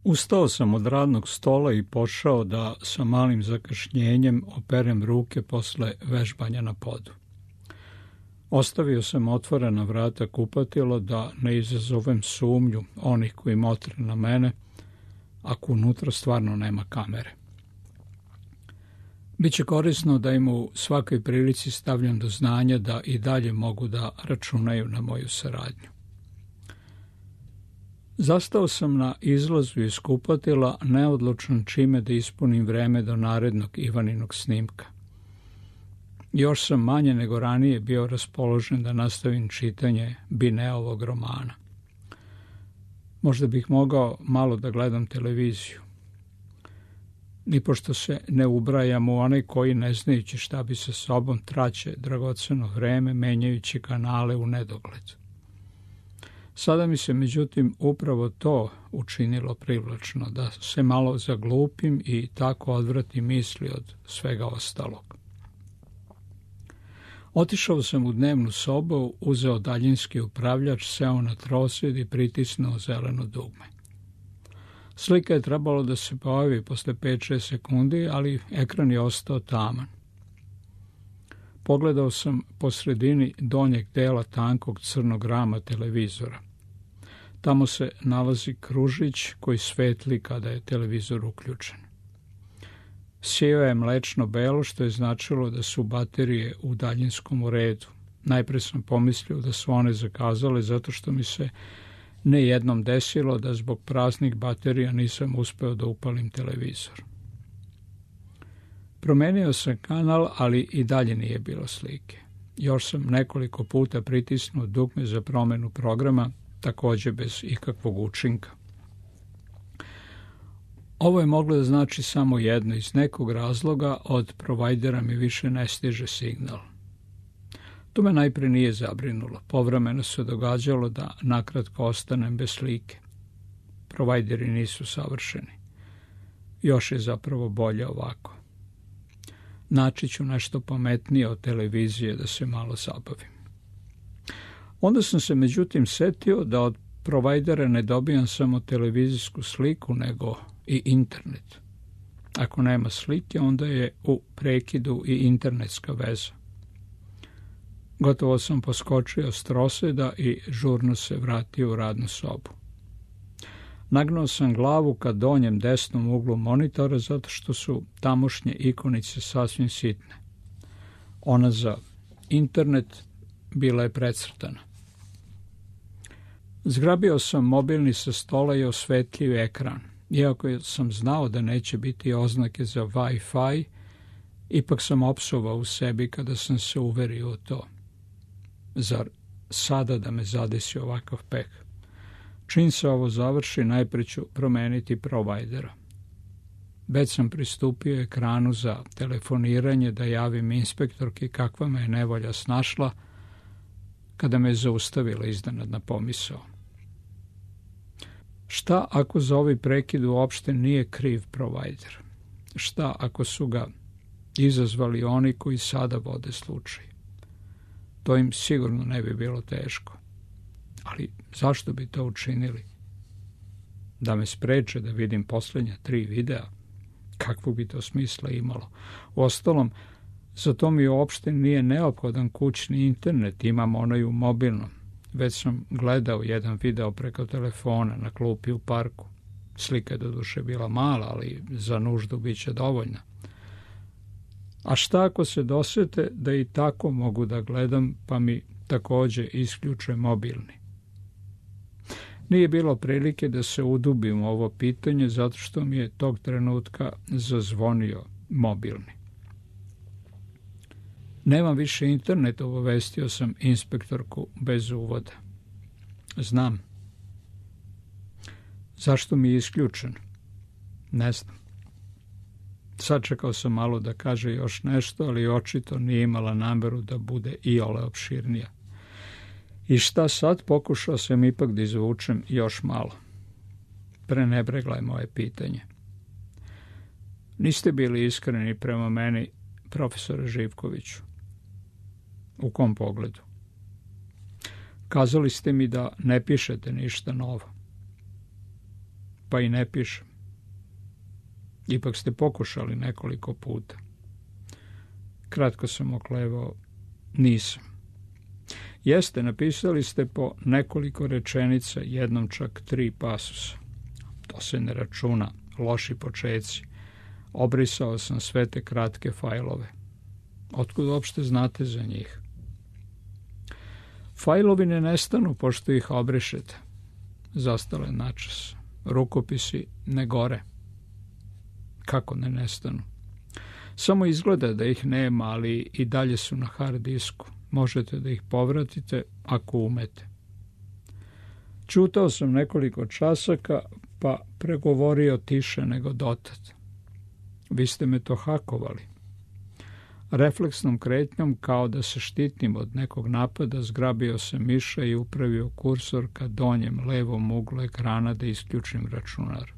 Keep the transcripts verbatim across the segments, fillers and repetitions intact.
Ustao sam od radnog stola i pošao da sa malim zakašnjenjem operem ruke posle vežbanja na podu. Ostavio sam otvorena vrata kupatila da ne izazovem sumnju onih koji motre na mene, ako unutra stvarno nema kamere. Biće korisno da im u svakoj prilici stavljam do znanja da i dalje mogu da računaju na moju saradnju. Zastao sam na izlazu iz kupatila, neodlučan čime da ispunim vreme do narednog Ivaninog snimka. Još sam manje nego ranije bio raspoložen da nastavim čitanje Bineovog romana. Možda bih mogao malo da gledam televiziju. Nipošto se ne ubrajam u onaj koji, ne znajući šta bi sa sobom, traće dragoceno vreme menjajući kanale u nedogled. Sada mi se međutim upravo to učinilo privlačno, da se malo zaglupim i tako odvratim misli od svega ostalog. Otišao sam u dnevnu sobu, uzeo daljinski upravljač, seo na trosed i pritisnuo zeleno dugme. Slika je trebalo da se pojavi posle pet šest sekundi, ali ekran je ostao taman. Pogledao sam po sredini donjeg dela tankog crnog rama televizora. Tamo se nalazi kružić koji svetli kada je televizor uključen. Sijao je mlečno belo, što je značilo da su baterije u daljinskom redu. Najpre sam pomislio da su one zakazale zato što mi se ne jednom desilo da zbog praznih baterija nisam uspeo da upalim televizor. Promenio sam kanal, ali i dalje nije bilo slike. Još sam nekoliko puta pritisnuo dugme za promenu programa, takođe bez ikakvog učinka. Ovo je moglo da znači samo jedno, iz nekog razloga od provajdera mi više ne stiže signal. To me najpre nije zabrinulo. Povremeno se događalo da nakratko ostanem bez slike. Provajderi nisu savršeni. Još je zapravo bolje ovako. Naći ću nešto pametnije od televizije da se malo zabavim. Onda sam se međutim setio da od provajdera ne dobijam samo televizijsku sliku, nego i internet. Ako nema slike, onda je u prekidu i internetska veza. Gotovo sam poskočio s troseda i žurno se vratio u radnu sobu. Nagnao sam glavu ka donjem desnom uglu monitora zato što su tamošnje ikonice sasvim sitne. Ona za internet bila je precrtana. Zgrabio sam mobilni sa stola i osvetlio ekran. Iako sam znao da neće biti oznake za Wi-Fi, ipak sam opsovao u sebi kada sam se uverio u to. Zar sada da me zadesi ovakav peh? Čim se ovo završi, najpre ću promeniti provajdera. Već sam pristupio ekranu za telefoniranje da javim inspektorki kakva me je nevolja snašla, kada me je zaustavila iznenadna pomisao. Šta ako za ovaj prekid uopšte nije kriv provajder? Šta ako su ga izazvali oni koji sada vode slučaj? To im sigurno ne bi bilo teško. Ali zašto bi to učinili? Da me spreče da vidim poslednja tri videa? Kakvog bi to smisla imalo? Uostalom, za to mi uopšte nije neophodan kućni internet, imam onaj u mobilnom. Već sam gledao jedan video preko telefona na klupi u parku. Slika je doduše bila mala, ali za nuždu bit će dovoljna. A šta ako se dosete da i tako mogu da gledam, pa mi takođe isključe mobilni? Nije bilo prilike da se udubim u ovo pitanje, zato što mi je tog trenutka zazvonio mobilni. Nemam više internet, obavestio sam inspektorku bez uvoda. Znam. Zašto mi je isključen? Ne znam. Sačekao sam malo da kaže još nešto, ali očito nije imala nameru da bude iole opširnija. I šta sad? Pokušao sam ipak da izvučem još malo. Prenebregla je moje pitanje. Niste bili iskreni prema meni, profesore Živkoviću. U kom pogledu? Kazali ste mi da ne pišete ništa novo. pa i ne pišem. Ipak ste pokušali nekoliko puta. Kratko sam oklevao, nisam. Jeste, napisali ste po nekoliko rečenica, jednom čak tri pasusa. To se ne računa, loši počeci. Obrisao sam sve te kratke fajlove. Otkud uopšte znate za njih? Fajlovi ne nestanu pošto ih obrišete. Zastale načas. Rukopisi ne gore. Kako ne nestanu? Samo izgleda da ih nema, ali i dalje su na hard disku. Možete da ih povratite ako umete. Čutao sam nekoliko časaka, pa pregovorio tiše nego dotad. Vi ste me to hakovali. Refleksnom kretnjom, kao da se štitim od nekog napada, zgrabio se miša i upravio kursor ka donjem levom uglu ekrana da isključim računar.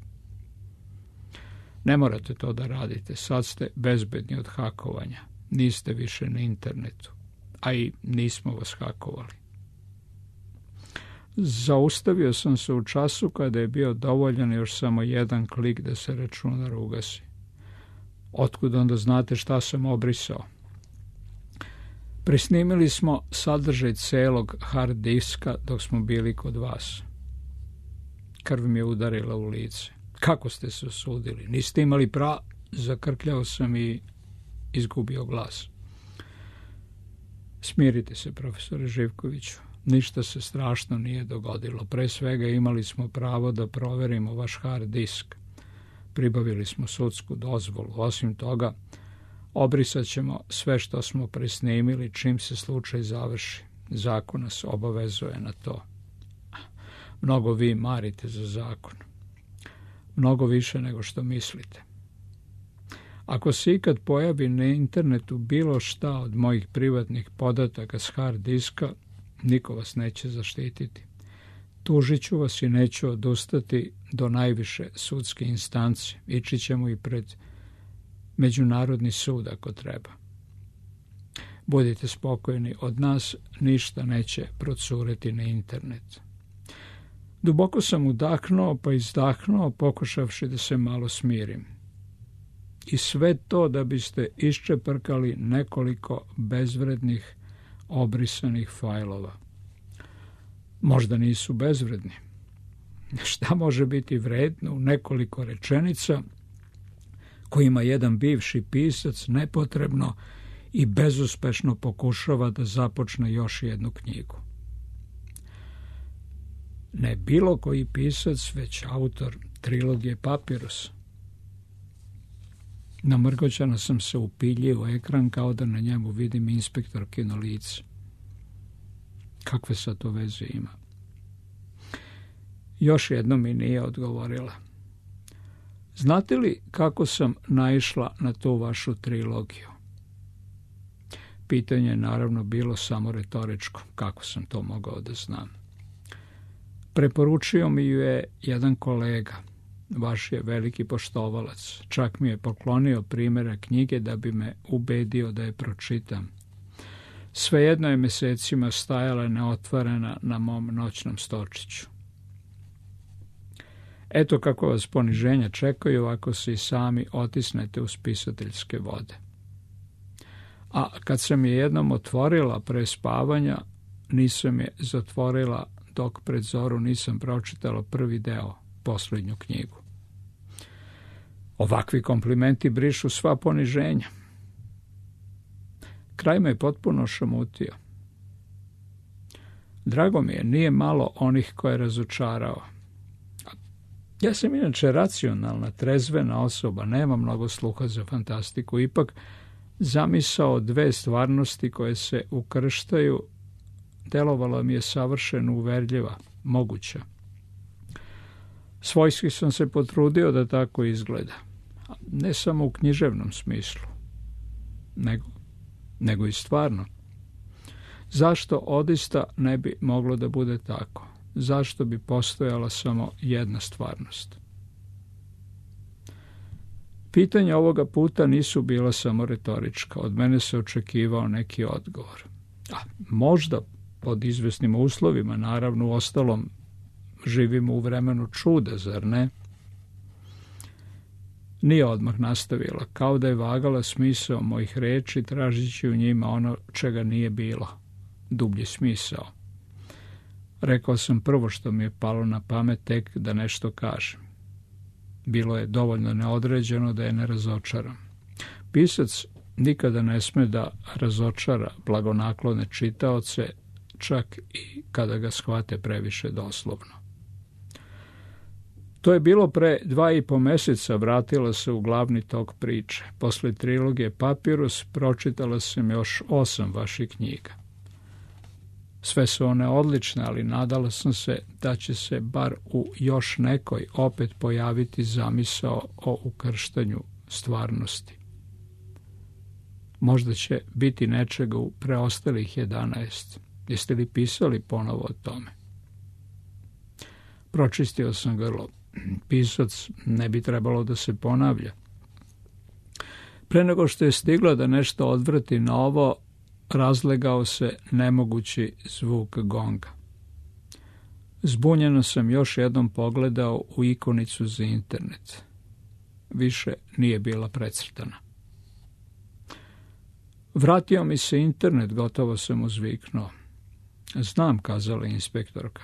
Ne morate to da radite, sad ste bezbedni od hakovanja. Niste više na internetu, a i nismo vas hakovali. Zaustavio sam se u času kada je bio dovoljan još samo jedan klik da se računar ugasi. Otkud onda znate šta sam obrisao? Presnimili smo sadržaj celog hard diska dok smo bili kod vas. Krv mi je udarila u lice. Kako ste se osudili? Niste imali pra... Zakrkljao sam i izgubio glas. Smirite se, profesore Živkoviću. Ništa se strašno nije dogodilo. Pre svega imali smo pravo da proverimo vaš hard disk. Pribavili smo sudsku dozvolu. Osim toga, obrisat ćemo sve što smo presnimili čim se slučaj završi. Zakon nas obavezuje na to. Mnogo vi marite za zakon. Mnogo više nego što mislite. Ako se ikad pojavi na internetu bilo šta od mojih privatnih podataka s hard diska, niko vas neće zaštititi. Tužit ću vas i neću odustati do najviše sudske instance. Ići ćemo i pred Međunarodni sud ako treba. Budite spokojni, od nas ništa neće procureti na internet. Duboko sam udahnuo pa izdahnuo, pokušavši da se malo smirim. I sve to da biste iščeprkali nekoliko bezvrednih, obrisanih fajlova. Možda nisu bezvredni. Šta može biti vredno u nekoliko rečenica kojima jedan bivši pisac nepotrebno i bezuspešno pokušava da započne još jednu knjigu? Ne bilo koji pisac, već autor trilogije Papirus. Namrgoćano sam se upiljio u ekran kao da na njemu vidim inspektorkino lice. Kakve sad to veze ima? Još jedno mi nije odgovorila. Znate li kako sam naišla na tu vašu trilogiju? Pitanje je naravno bilo samo retoričko. Kako sam to mogao da znam? Preporučio mi ju je jedan kolega. Vaš je veliki poštovalac. Čak mi je poklonio primjera knjige da bi me ubedio da je pročitam. Svejedno je mesecima stajala neotvorena na mom noćnom stočiću. Eto kako vas poniženja čekaju ako se i sami otisnete u spisateljske vode. A kad sam je jednom otvorila pre spavanja, nisam je zatvorila dok pred zoru nisam pročitala prvi deo, posljednju knjigu. Ovakvi komplimenti brišu sva poniženja. Kraj me je potpuno šamutio. Drago mi je, nije malo onih koje je razočarao. Ja sam inače racionalna, trezvena osoba, nema mnogo sluha za fantastiku. Ipak zamisao dve stvarnosti koje se ukrštaju delovala mi je savršeno uverljiva, moguća. Svojski sam se potrudio da tako izgleda. Ne samo u književnom smislu, nego, nego i stvarno. Zašto odista ne bi moglo da bude tako? Zašto bi postojala samo jedna stvarnost? Pitanja ovoga puta nisu bila samo retorička. Od mene se očekivao neki odgovor. A možda pod izvesnim uslovima, naravno, u ostalom živimo u vremenu čuda, zar ne? Nije odmah nastavila, kao da je vagala smisao mojih reči, tražići u njima ono čega nije bilo, dublji smisao. Rekao sam prvo što mi je palo na pamet, tek da nešto kažem. Bilo je dovoljno neodređeno da je ne razočaram. Pisac nikada ne sme da razočara blagonaklone čitaoce, čak i kada ga shvate previše doslovno. To je bilo pre dva i po meseca, vratila se u glavni tok priče. Posle trilogije Papirus pročitala sam još osam vaših knjiga. Sve su one odlične, ali nadala sam se da će se bar u još nekoj opet pojaviti zamisao o ukrštanju stvarnosti. Možda će biti nečega u preostalih jedanaest. Jeste li pisali ponovo o tome? Pročistio sam grlo. Pisac ne bi trebalo da se ponavlja. Pre nego što je stigla da nešto odvrati novo, razlegao se nemogući zvuk gonga. Zbunjeno sam još jednom pogledao u ikonicu za internet. Više nije bila precrtana. Vratio mi se internet, gotovo sam uzviknuo. Znam, kazala inspektorka.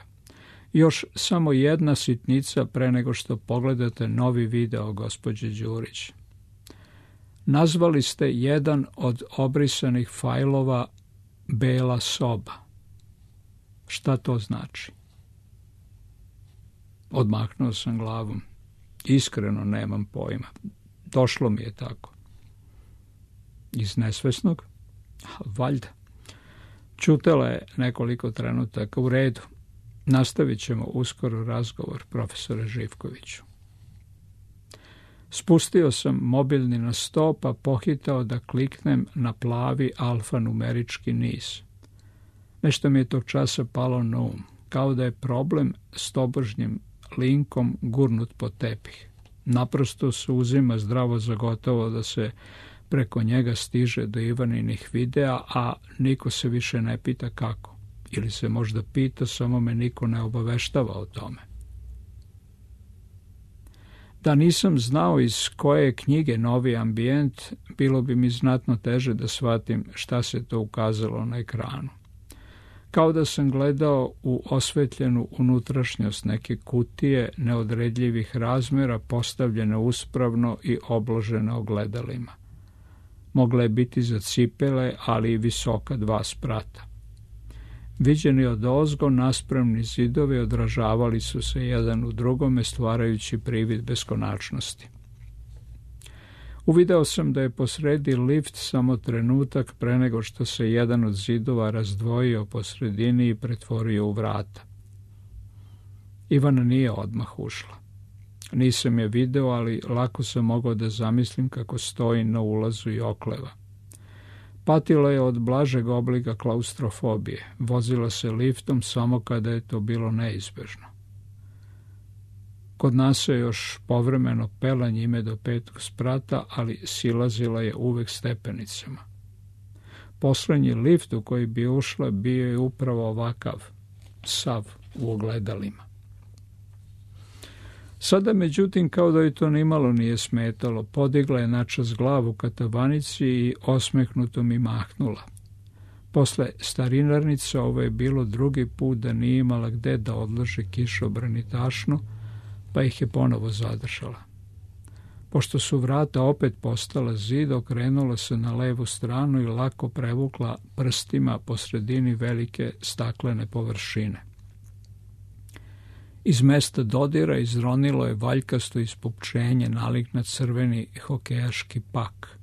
Još samo jedna sitnica pre nego što pogledate novi video, gospođe Đurić. Nazvali ste jedan od obrisanih fajlova Bela soba. Šta to znači? Odmahnuo sam glavom. Iskreno nemam pojma. Došlo mi je tako. Iz nesvesnog? Valjda. Ćutela je nekoliko trenutaka. U redu. Nastavit ćemo uskoro razgovor, profesore Živkoviću. Spustio sam mobilni na sto, pa pohitao da kliknem na plavi alfanumerički niz. Nešto mi je tog časa palo na um, kao da je problem s tobožnjim linkom gurnut pod tepih. Naprosto se uzima zdravo za gotovo da se preko njega stiže do Ivaninih videa, a niko se više ne pita kako. Ili se možda pita, samo me niko ne obaveštava o tome. Da nisam znao iz koje je knjige Novi ambijent, bilo bi mi znatno teže da shvatim šta se to ukazalo na ekranu. Kao da sam gledao u osvetljenu unutrašnjost neke kutije neodredljivih razmjera postavljene uspravno i obložene ogledalima. Mogla je biti za cipele, ali i visoka dva sprata. Viđeni odozgo naspremni zidovi odražavali su se jedan u drugome, stvarajući privid beskonačnosti. Uvideo sam da je posredi lift samo trenutak pre nego što se jedan od zidova razdvojio po sredini i pretvorio u vrata. Ivana nije odmah ušla. Nisam je video, ali lako sam mogao da zamislim kako stoji na ulazu i okleva. Patila je od blažeg oblika klaustrofobije. Vozila se liftom samo kada je to bilo neizbežno. Kod nas se još povremeno pela njime do petog sprata, ali silazila je uvek stepenicama. Poslednji lift u koji bi ušla bio je upravo ovakav, sav u ogledalima. Sada, međutim, kao da joj to nimalo nije smetalo, podigla je načas glavu ka tavanici i osmehnuto mi mahnula. Posle starinarnice ovo je bilo drugi put da nije imala gde da odloži kišobran i tašnu, pa ih je ponovo zadržala. Pošto su vrata opet postala zid, okrenula se na levu stranu i lako prevukla prstima po sredini velike staklene površine. Iz mesta dodira izronilo je valjkasto ispupčenje nalik na crveni hokejaški pak.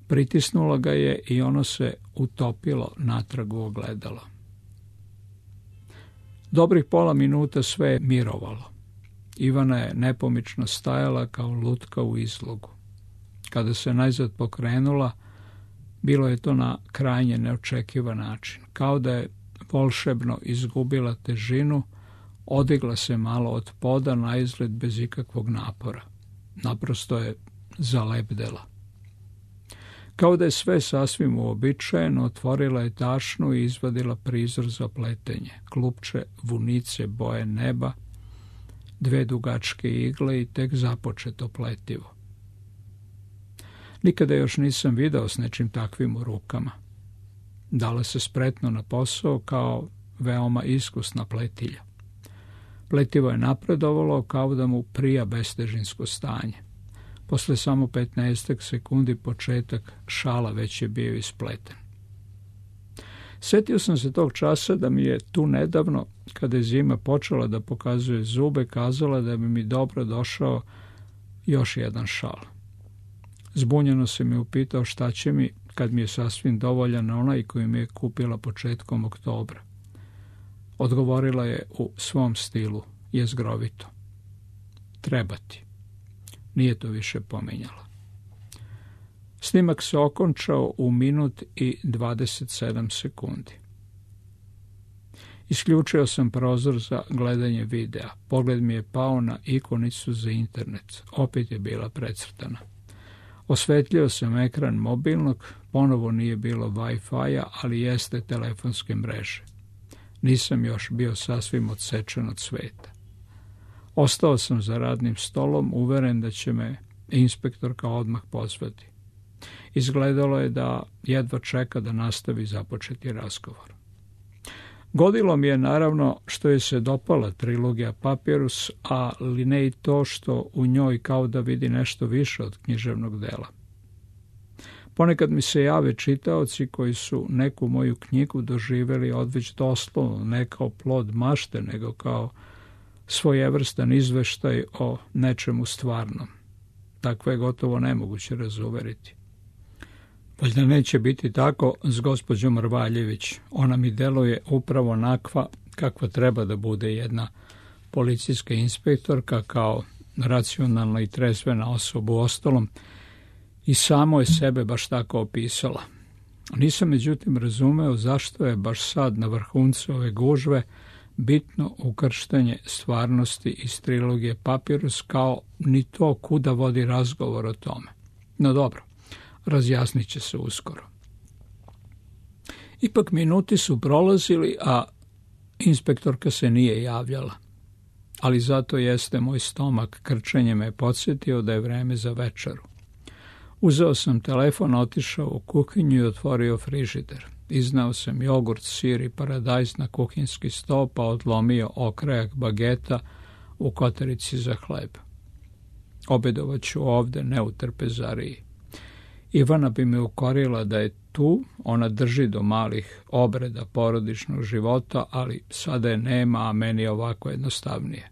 Pritisnula ga je i ono se utopilo natrag u ogledalo. Dobrih pola minuta sve je mirovalo. Ivana je nepomično stajala kao lutka u izlogu. Kada se najzad pokrenula, bilo je to na krajnje neočekivan način. Kao da je volšebno izgubila težinu, odigla se malo od poda, na izgled bez ikakvog napora. Naprosto je zalepdela. Kao da je sve sasvim uobičajeno, otvorila je tašnu i izvadila prizor za pletenje, klupče vunice boje neba, dve dugačke igle i tek započeto pletivo. Nikada još nisam video s nečim takvim u rukama. Dala se spretno na posao kao veoma iskusna pletilja. Pletivo je napredovalo kao da mu prija bestežinsko stanje. Posle samo petnaestak sekundi početak šala već je bio ispleten. Sjetio sam se tog časa da mi je tu nedavno, kada je zima počela da pokazuje zube, kazala da bi mi dobro došao još jedan šal. Zbunjeno se mi upitao šta će mi kad mi je sasvim dovoljan onaj koji mi je kupila početkom oktobra. Odgovorila je u svom stilu, jezgrovito. Treba ti. Nije to više pomenjala. Snimak se okončao u minut i dvadeset sedam sekundi. Isključio sam prozor za gledanje videa. Pogled mi je pao na ikonicu za internet. Opet je bila precrtana. Osvetljio sam ekran mobilnog, ponovo nije bilo Wi-Fi-a, ali jeste telefonske mreže. Nisam još bio sasvim odsečen od sveta. Ostao sam za radnim stolom, uveren da će me inspektorka odmah pozvati. Izgledalo je da jedva čeka da nastavi započeti razgovor. Godilo mi je naravno što je se dopala trilogija Papirus, ali ne i to što u njoj kao da vidi nešto više od književnog dela. Ponekad mi se jave čitaoci koji su neku moju knjigu doživjeli odveć doslovno, ne kao plod mašte, nego kao svojevrstan izveštaj o nečemu stvarnom. Takvo je gotovo nemoguće razuveriti. Valjda neće biti tako s gospođom Rvaljević. Ona mi deluje upravo onakva kakva treba da bude jedna policijska inspektorka, kao racionalna i trezvena osoba u ostalom, i samo je sebe baš tako opisala. Nisam međutim razumeo zašto je baš sad na vrhuncu ove gužve bitno ukrštanje stvarnosti iz trilogije Papirus, kao ni to kuda vodi razgovor o tome. No dobro, razjasnit će se uskoro. Ipak minuti su prolazili, a inspektorka se nije javljala. Ali zato jeste moj stomak, krčenje me podsjetio da je vreme za večeru. Uzeo sam telefon, otišao u kuhinju i otvorio frižider. Iznao sam jogurt, sir i paradajz na kuhinjski sto, pa odlomio okrajak bageta u kotarici za hleb. Obedovat ću ovde, ne u trpezariji. Ivana bi me ukorila da je tu, ona drži do malih obreda porodičnog života, ali sada je nema, a meni je ovako jednostavnije.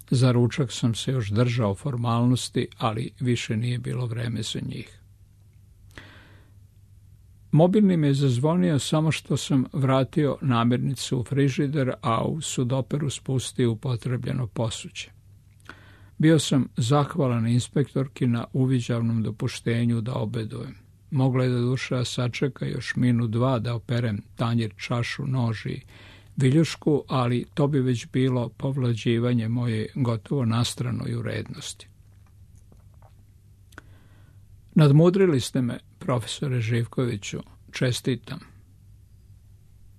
Za ručak sam se još držao formalnosti, ali više nije bilo vreme za njih. Mobilni me je zazvonio samo što sam vratio namirnicu u frižider, a u sudoperu spustio upotrebljeno posuđe. Bio sam zahvalan inspektorki na uviđavnom dopuštenju da obedujem. Mogla je da duša sačeka još minut dva da operem tanjir, čašu, nož i viljušku, ali to bi već bilo povlađivanje moje gotovo nastranoj urednosti. Nadmudrili ste me, profesore Živkoviću, čestitam.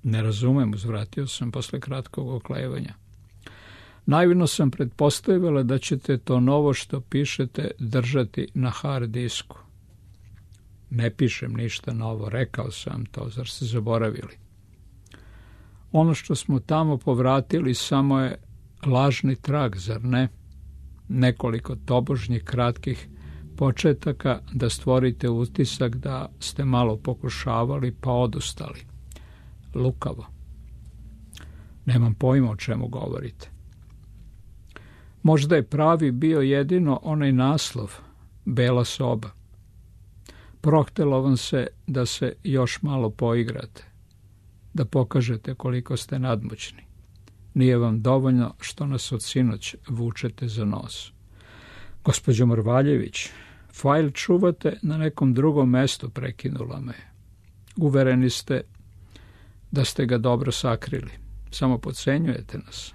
Ne razumem, uzvratio sam posle kratkog oklevanja. Naivno sam pretpostavila da ćete to novo što pišete držati na hard disku. Ne pišem ništa novo, rekao sam to, zar ste zaboravili? Ono što smo tamo povratili samo je lažni trag, zar ne? Nekoliko tobožnjih kratkih početaka da stvorite utisak da ste malo pokušavali pa odustali. Lukavo. Nemam pojma o čemu govorite. Možda je pravi bio jedino onaj naslov, Bela soba. Prohtelo vam se da se još malo poigrate, da pokažete koliko ste nadmoćni. Nije vam dovoljno što nas od sinoć vučete za nos. Gospođo Morvaljević, fajl čuvate na nekom drugom mestu, prekinula me. Uvereni ste da ste ga dobro sakrili. Samo podcenjujete nas.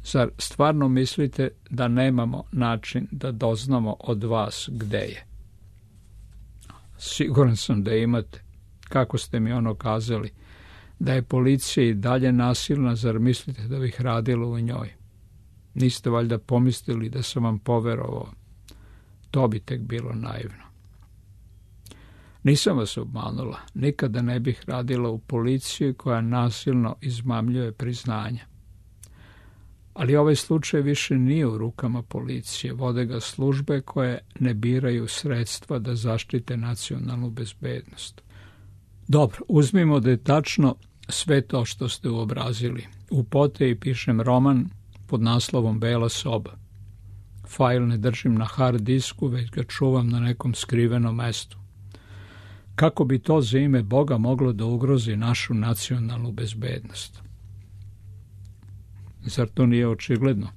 Zar stvarno mislite da nemamo način da doznamo od vas gde je? Siguran sam da imate. Kako ste mi ono kazali? Da je policija i dalje nasilna, zar mislite da bih radila u njoj? Niste valjda pomislili da sam vam poverovao. To bi tek bilo naivno. Nisam vas obmanula. Nikada ne bih radila u policiji koja nasilno izmamljuje priznanja. Ali ovaj slučaj više nije u rukama policije. Vode ga službe koje ne biraju sredstva da zaštite nacionalnu bezbednost. Dobro, uzmimo da je tačno sve to što ste uobrazili. U Poteji pišem roman pod naslovom Bela soba. Fajl ne držim na hard disku, već ga čuvam na nekom skrivenom mestu. Kako bi to za ime Boga moglo da ugrozi našu nacionalnu bezbednost? Zar to nije očigledno?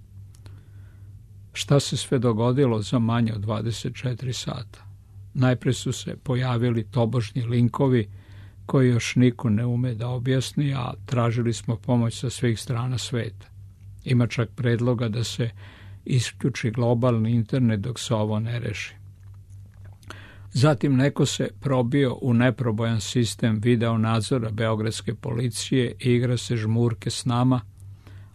Šta se sve dogodilo za manje od dvadeset četiri sata? Najpre su se pojavili tobožnji linkovi koji još niko ne ume da objasni, a tražili smo pomoć sa svih strana sveta. Ima čak predloga da se isključi globalni internet dok se ovo ne reši. Zatim neko se probio u neprobojan sistem video nadzora beogradske policije i igra se žmurke s nama,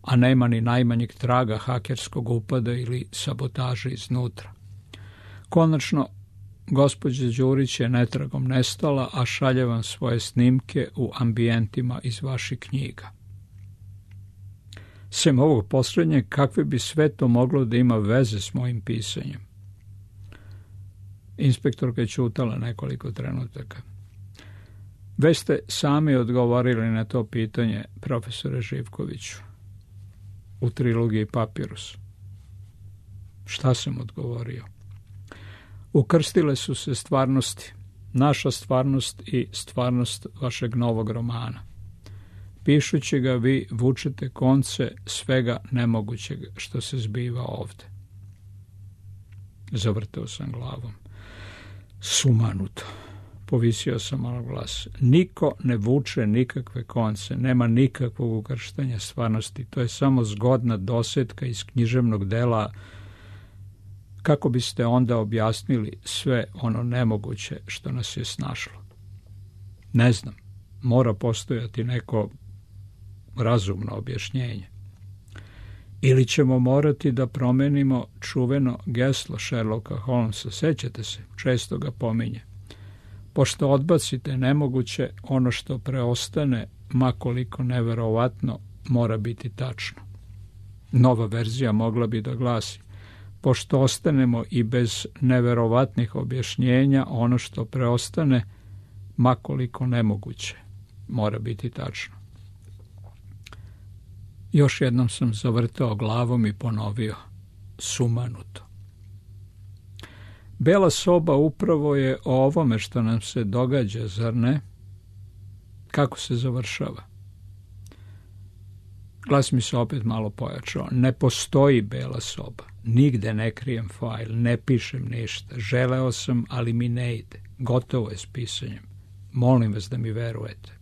a nema ni najmanjeg traga hakerskog upada ili sabotaže iznutra. Konačno, gospođa Đurić je netragom nestala, a šalje vam svoje snimke u ambijentima iz vaših knjiga. Sem ovog posljednjeg, kakve bi sve to moglo da ima veze s mojim pisanjem? Inspektorka je ćutala nekoliko trenutaka. Već ste sami odgovorili na to pitanje, profesore Živkoviću, u trilogiji Papirus. Šta sam odgovorio? Ukrstile su se stvarnosti, naša stvarnost i stvarnost vašeg novog romana. Pišući ga vi vučete konce svega nemogućeg što se zbiva ovde. Zavrteo sam glavom. Sumanuto. Povisio sam malo glas. Niko ne vuče nikakve konce, nema nikakvog ukrštanja stvarnosti. To je samo zgodna dosetka iz književnog dela. Kako biste onda objasnili sve ono nemoguće što nas je snašlo? Ne znam. Mora postojati neko razumno objašnjenje. Ili ćemo morati da promenimo čuveno geslo Sherlocka Holmesa. Sećate se, često ga pominje. Pošto odbacite nemoguće, ono što preostane, makoliko neverovatno, mora biti tačno. Nova verzija mogla bi da glasi: pošto ostanemo i bez neverovatnih objašnjenja, ono što preostane, makoliko nemoguće, mora biti tačno. Još jednom sam zavrtao glavom i ponovio: sumanuto. Bela soba upravo je o ovome što nam se događa, zar ne? Kako se završava? Glas mi se opet malo pojačao. Ne postoji bela soba. Nigde ne krijem fajl, ne pišem ništa. Želeo sam, ali mi ne ide. Gotovo je s pisanjem. Molim vas da mi verujete.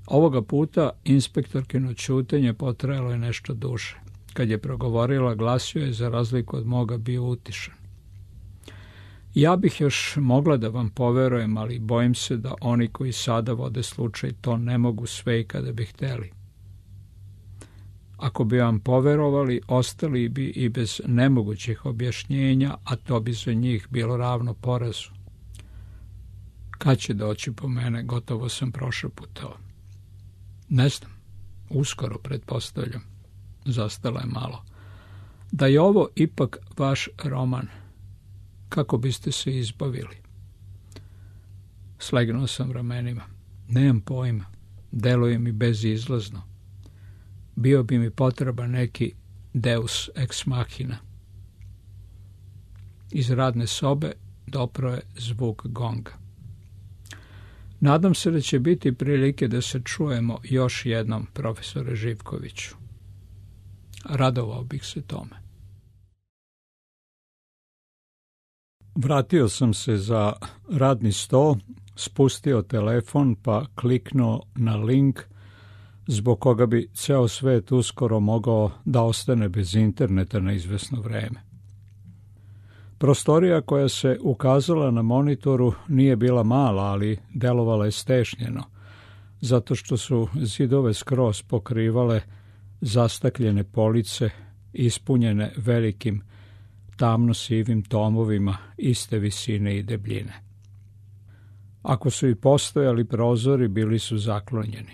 Ovoga puta inspektorkino ćutenje potrajalo je nešto duže. Kad je progovorila, glasio je, za razliku od moga, bio utišan. Ja bih još mogla da vam poverujem, ali bojim se da oni koji sada vode slučaj to ne mogu sve i kada bi hteli. Ako bi vam poverovali, ostali bi i bez nemogućih objašnjenja, a to bi za njih bilo ravno porazu. Kad će doći po mene, gotovo sam prošaputao. Ne znam, uskoro pretpostavljam. Zastala je malo. Da je ovo ipak vaš roman, kako biste se izbavili? Slegnuo sam ramenima. Nemam pojma, deluje mi bezizlazno. Bio bi mi potreban neki deus ex machina. Iz radne sobe dopro je zvuk gonga. Nadam se da će biti prilike da se čujemo još jednom, profesore Živkoviću. Radovao bih se tome. Vratio sam se za radni sto, spustio telefon pa kliknuo na link zbog koga bi ceo svet uskoro mogao da ostane bez interneta na izvesno vreme. Prostorija koja se ukazala na monitoru nije bila mala, ali delovala je stešnjeno, zato što su zidove skroz pokrivale zastakljene police ispunjene velikim tamno-sivim tomovima iste visine i debljine. Ako su i postojali prozori, bili su zaklonjeni.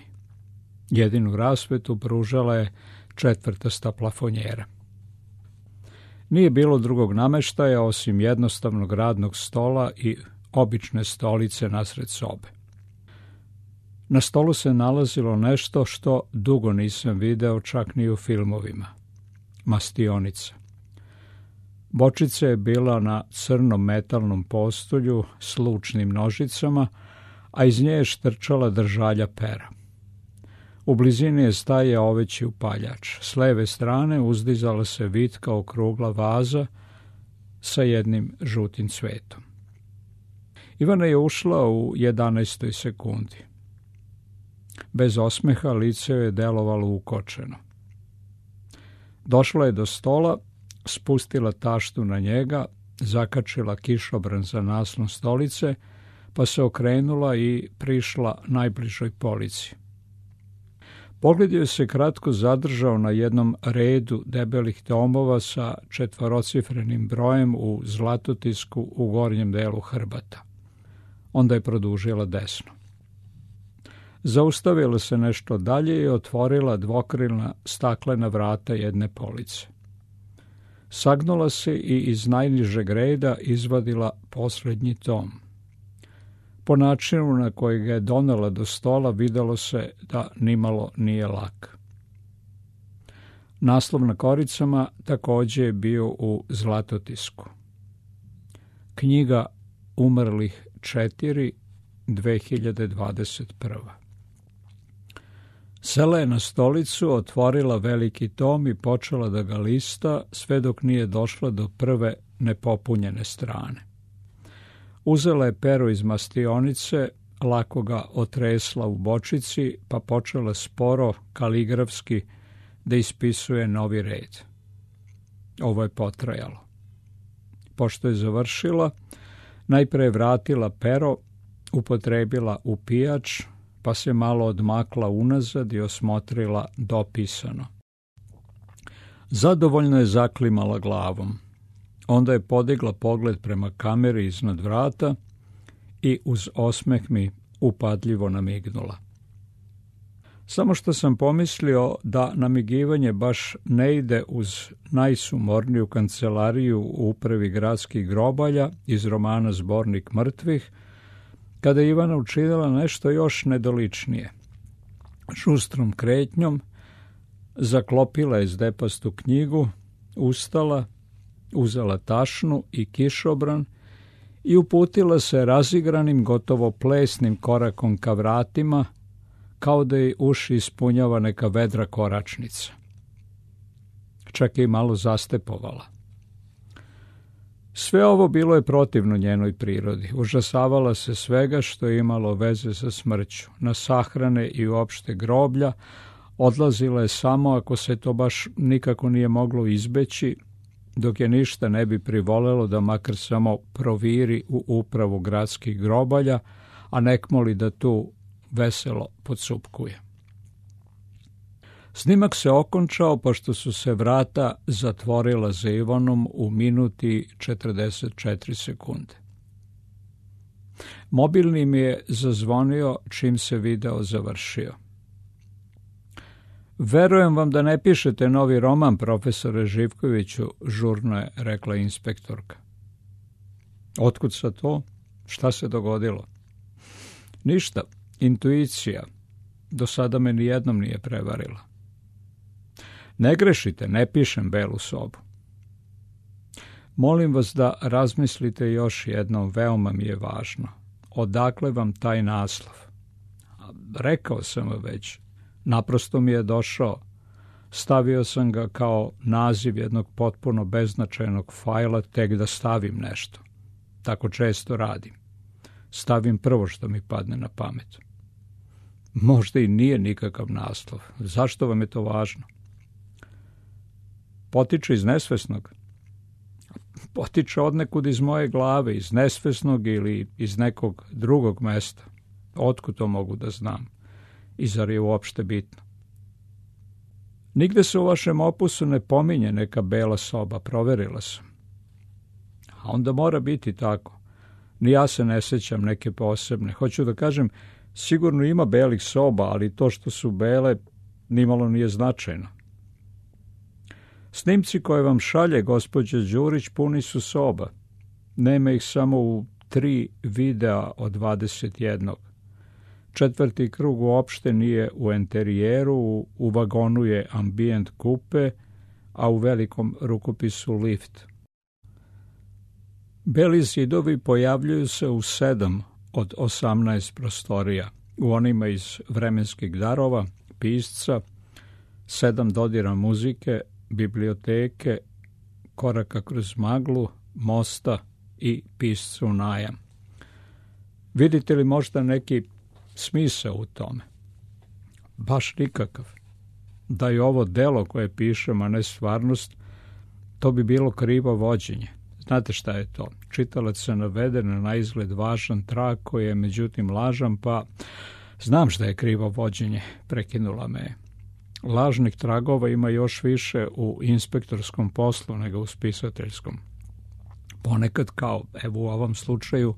Jedinu rasvetu pružala je četvrtasta plafonjera. Nije bilo drugog nameštaja osim jednostavnog radnog stola i obične stolice nasred sobe. Na stolu se nalazilo nešto što dugo nisam video čak ni u filmovima. Mastionica. Bočica je bila na crnom metalnom postolju s lučnim nožicama, a iz nje je štrčala držalja pera. U blizini je stajao oveći upaljač. S leve strane uzdizala se vitka okrugla vaza sa jednim žutim cvetom. Ivana je ušla u jedanaestoj sekundi. Bez osmeha lice je delovalo ukočeno. Došla je do stola, spustila taštu na njega, zakačila kišobran za naslon stolice, pa se okrenula i prišla najbližoj polici. Pogled joj se kratko zadržao na jednom redu debelih tomova sa četvorocifrenim brojem u zlatotisku u gornjem delu hrbata. Onda je produžila desno. Zaustavila se nešto dalje i otvorila dvokrilna staklena vrata jedne police. Sagnula se i iz najnižeg reda izvadila posljednji tom. Po načinu na koji ga je donela do stola videlo se da nimalo nije lak. Naslov na koricama također je bio u zlatotisku. Knjiga umrlih četiri, dve hiljade dvadeset prva. Sela je na stolicu, otvorila veliki tom i počela da ga lista sve dok nije došla do prve nepopunjene strane. Uzela je pero iz mastionice, lako ga otresla u bočici, pa počela sporo, kaligrafski, da ispisuje novi red. Ovo je potrajalo. Pošto je završila, najpre je vratila pero, upotrebila upijač, pa se malo odmakla unazad i osmotrila dopisano. Zadovoljno je zaklimala glavom. Onda je podigla pogled prema kameri iznad vrata i uz osmeh mi upadljivo namignula. Samo što sam pomislio da namigivanje baš ne ide uz najsumorniju kancelariju u upravi gradskih grobalja iz romana Zbornik mrtvih, kada je Ivana učinila nešto još nedoličnije. Šustrom kretnjom zaklopila je zdepastu knjigu, ustala, uzela tašnu i kišobran i uputila se razigranim, gotovo plesnim korakom ka vratima, kao da je uši ispunjava neka vedra koračnica. Čak je i malo zastepovala. Sve ovo bilo je protivno njenoj prirodi. Užasavala se svega što je imalo veze sa smrću. Na sahrane i uopšte groblja odlazila je samo ako se to baš nikako nije moglo izbeći, dok je ništa ne bi privolelo da makar samo proviri u upravu gradskih grobalja, a nek moli da tu veselo podsupkuje. Snimak se okončao pošto su se vrata zatvorila za Ivanom u minuti četrdeset četiri sekunde. Mobilni mi je zazvonio čim se video završio. Verujem vam da ne pišete novi roman, profesore Živkoviću, žurno je rekla inspektorka. Otkud sa to? Šta se dogodilo? Ništa, intuicija. Do sada me nijednom nije prevarila. Ne grešite, ne pišem Belu sobu. Molim vas da razmislite još jednom, veoma mi je važno. Odakle vam taj naslov? Rekao sam vam već, naprosto mi je došao. Stavio sam ga kao naziv jednog potpuno beznačajnog fajla, tek da stavim nešto. Tako često radim. Stavim prvo što mi padne na pamet. Možda i nije nikakav naslov. Zašto vam je to važno? Potiče iz nesvesnog. Potiče odnekud iz moje glave, iz nesvesnog ili iz nekog drugog mesta. Otkud to mogu da znam? I zar je uopšte bitno? Nigde se u vašem opusu ne pominje neka bela soba, proverila sam. A onda mora biti tako. Ni ja se ne sjećam neke posebne. Hoću da kažem, sigurno ima belih soba, ali to što su bele nimalo nije značajno. Snimci koje vam šalje gospođa Đurić puni su soba. Nema ih samo u tri videa od dvadeset jednog. Četvrti krug uopšte nije u enterijeru, u vagonu je ambijent kupe, a u velikom rukopisu lift. Beli zidovi pojavljuju se u sedam od osamnaest prostorija, u onima iz vremenskih darova, pisca, sedam dodira muzike, biblioteke, koraka kroz maglu, mosta i piscu najam. Vidite li možda neki smisao u tome? Baš nikakav. Da je ovo delo koje pišem, a ne stvarnost, to bi bilo krivo vođenje. Znate šta je to? Čitalac se navede na naizgled važan trag koji je međutim lažan, pa znam šta je krivo vođenje, prekinula me je. Lažnih tragova ima još više u inspektorskom poslu nego u spisateljskom. Ponekad, kao evo u ovom slučaju,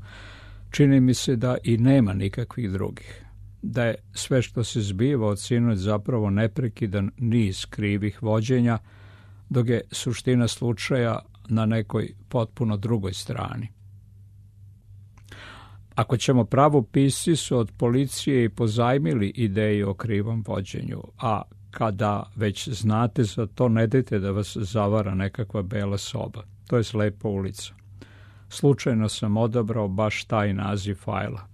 čini mi se da i nema nikakvih drugih. Da je sve što se zbiva od sinoć zapravo neprekidan niz krivih vođenja, dok je suština slučaja na nekoj potpuno drugoj strani. Ako ćemo pravo, pisci su od policije i pozajmili ideju o krivom vođenju, a kada već znate za to, ne dajte da vas zavara nekakva bela soba. To je slepa ulica. Slučajno sam odabrao baš taj naziv fajla.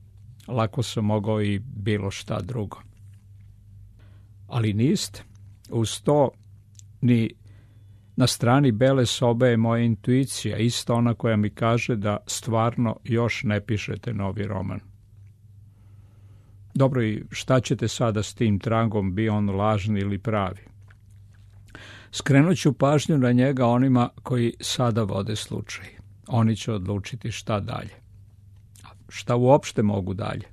Lako sam mogao i bilo šta drugo. Ali niste. Uz to ni na strani bele sobe je moja intuicija, isto ona koja mi kaže da stvarno još ne pišete novi roman. Dobro, i šta ćete sada s tim tragom, bio on lažni ili pravi? Skrenut ću pažnju na njega onima koji sada vode slučaj. Oni će odlučiti šta dalje. Šta uopšte mogu dalje?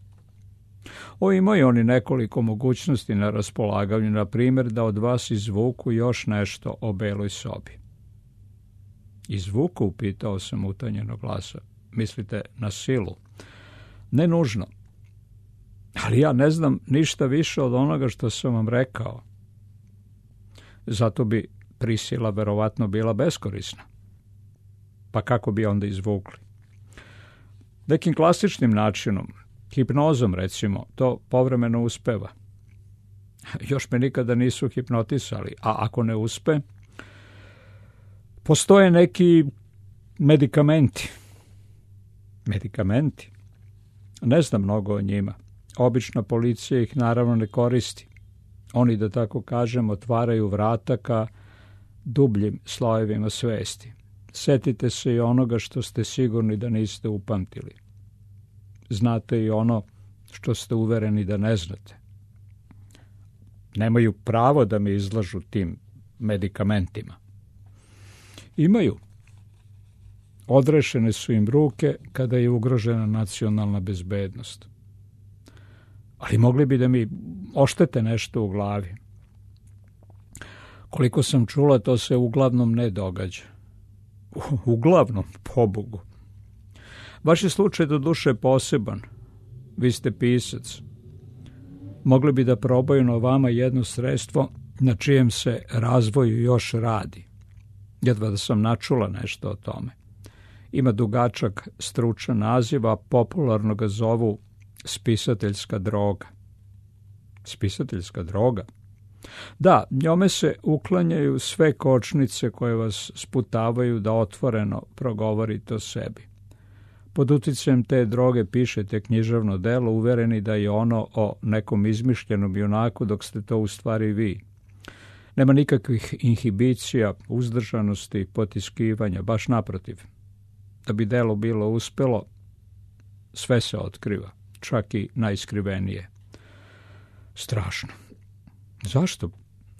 O, imaju oni nekoliko mogućnosti na raspolaganju, na primjer da od vas izvuku još nešto o beloj sobi. Izvuku, upitao sam utanjeno glasa. Mislite na silu? Ne nužno. Ali ja ne znam ništa više od onoga što sam vam rekao. Zato bi prisila verovatno bila beskorisna. Pa kako bi onda izvukli? Nekim klasičnim načinom, hipnozom recimo, to povremeno uspeva. Još me nikada nisu hipnotisali, a ako ne uspe, postoje neki medikamenti. Medikamenti? Ne znam mnogo o njima. Obična policija ih naravno ne koristi. Oni, da tako kažem, otvaraju vrata ka dubljim slojevima svesti. Setite se i onoga što ste sigurni da niste upamtili. Znate i ono što ste uvereni da ne znate. Nemaju pravo da me izlažu tim medikamentima. Imaju. Odrešene su im ruke kada je ugrožena nacionalna bezbednost. Ali mogli bi da mi oštete nešto u glavi. Koliko sam čula, to se uglavnom ne događa. Uglavnom, pobogu. Vaš je slučaj do duše poseban. Vi ste pisac. Mogli bi da probaju na vama jedno sredstvo na čijem se razvoju još radi. Jedva da sam načula nešto o tome. Ima dugačak stručan naziv, a popularno ga zovu spisateljska droga. Spisateljska droga? Da, njome se uklanjaju sve kočnice koje vas sputavaju da otvoreno progovorite o sebi. Pod uticajem te droge pišete književno delo, uvereni da je ono o nekom izmišljenom junaku, dok ste to u stvari vi. Nema nikakvih inhibicija, uzdržanosti, potiskivanja, baš naprotiv. Da bi delo bilo uspelo, sve se otkriva, čak i najskrivenije. Strašno. Zašto?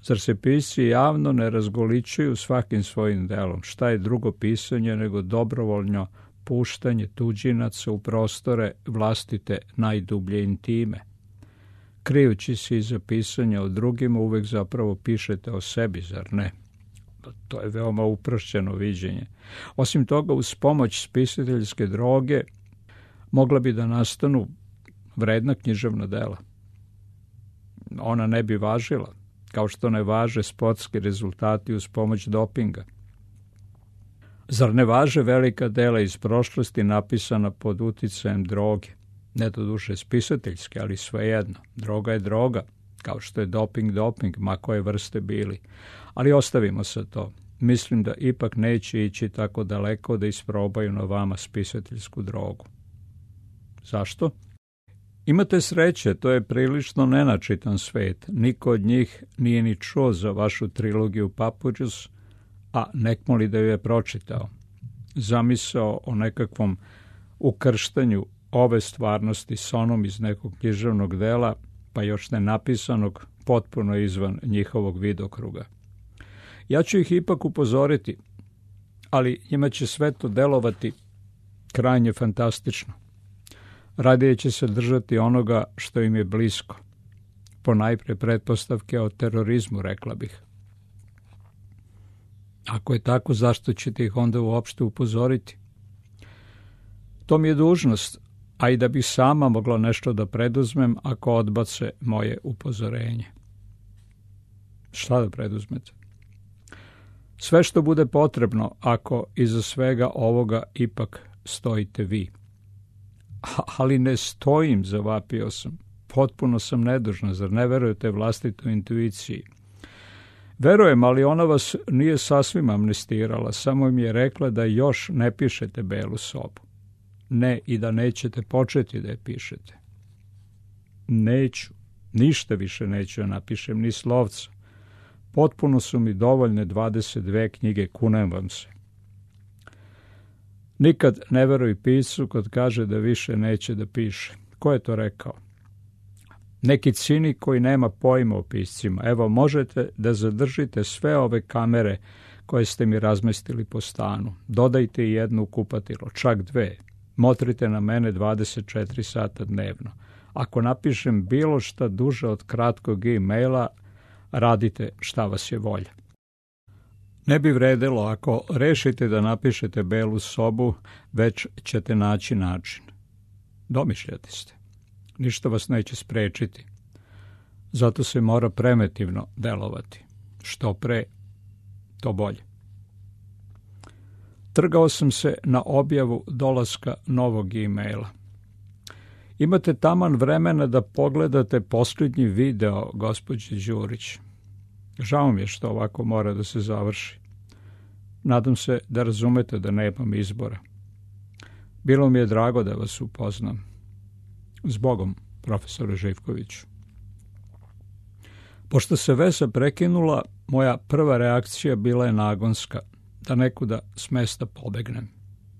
Zar se pisci javno ne razgoličuju svakim svojim delom? Šta je drugo pisanje nego dobrovoljno puštanje tuđinaca u prostore vlastite najdublje intime? Krijući se iza pisanja o drugima, uvek zapravo pišete o sebi, zar ne? To je veoma uprošćeno viđenje. Osim toga, uz pomoć spisateljske droge mogla bi da nastanu vredna književna dela. Ona ne bi važila, kao što ne važe sportski rezultati uz pomoć dopinga. Zar ne važe velika dela iz prošlosti napisana pod uticajem droge? Ne doduše spisateljske, ali svejedno. Droga je droga, kao što je doping doping, ma koje vrste bili. Ali ostavimo se to. Mislim da ipak neće ići tako daleko da isprobaju na vama spisateljsku drogu. Zašto? Imate sreće, to je prilično nenačitan svet. Niko od njih nije ni čuo za vašu trilogiju Papuđus, a nekmo li da ju je pročitao. Zamisao o nekakvom ukrštanju ove stvarnosti s onom iz nekog književnog dela, pa još ne napisanog, potpuno izvan njihovog vidokruga. Ja ću ih ipak upozoriti, ali njima će sve to delovati krajnje fantastično. Radije će se držati onoga što im je blisko. Ponajpre pretpostavke o terorizmu, rekla bih. Ako je tako, zašto ćete ih onda uopšte upozoriti? To mi je dužnost, a i da bih sama mogla nešto da preduzmem ako odbace moje upozorenje. Šta da preduzmete? Sve što bude potrebno ako iza svega ovoga ipak stojite vi. Ali ne stojim, zavapio sam. Potpuno sam nedužna, zar ne verujete vlastitoj intuiciji? Verujem, ali ona vas nije sasvim amnestirala, samo mi je rekla da još ne pišete Belu sobu. Ne, i da nećete početi da je pišete. Neću, ništa više neću da napišem, ni slovca. Potpuno su mi dovoljne dvadeset dve knjige, kunem vam se. Nikad ne veruj piscu kad kaže da više neće da piše. Ko je to rekao? Neki cinik koji nema pojma o piscima. Evo, možete da zadržite sve ove kamere koje ste mi razmestili po stanu. Dodajte i jednu u kupatilo, čak dve. Motrite na mene dvadeset četiri sata dnevno. Ako napišem bilo šta duže od kratkog e-maila, radite šta vas je volja. Ne bi vredelo ako rešite da napišete Belu sobu, već ćete naći način. Domišljati ste. Ništa vas neće sprečiti. Zato se mora preventivno delovati. Što pre, to bolje. Trgao sam se na objavu dolaska novog e-maila. Imate taman vremena da pogledate posljednji video, gospođe Đurić. Žao mi je što ovako mora da se završi. Nadam se da razumete da nemam izbora. Bilo mi je drago da vas upoznam. Zbogom, profesore Živkoviću. Pošto se veza prekinula, moja prva reakcija bila je nagonska, da nekuda s mesta pobegnem.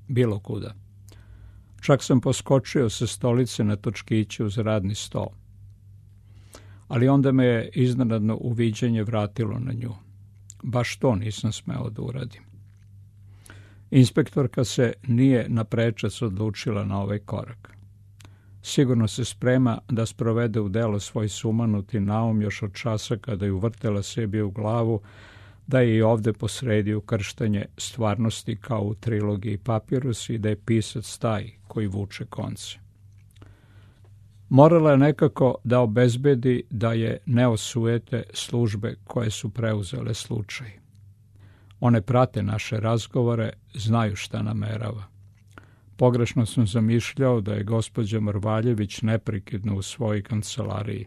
Bilo kuda. Čak sam poskočio sa stolice na točkiće uz radni sto. Ali onda me je iznenadno uviđenje vratilo na nju. Baš to nisam smeo da uradim. Inspektorka se nije na prečac odlučila na ovaj korak. Sigurno se sprema da sprovede u delo svoj sumanuti naum još od časa kada je uvrtela sebi u glavu da je i ovde posredi ukrštanje stvarnosti kao u trilogiji Papirus i da je pisac taj koji vuče konce. Morala je nekako da obezbedi da je ne osujete službe koje su preuzele slučaj. One prate naše razgovore, znaju šta namerava. Pogrešno sam zamišljao da je gospođa Mrvaljević neprekidno u svojoj kancelariji.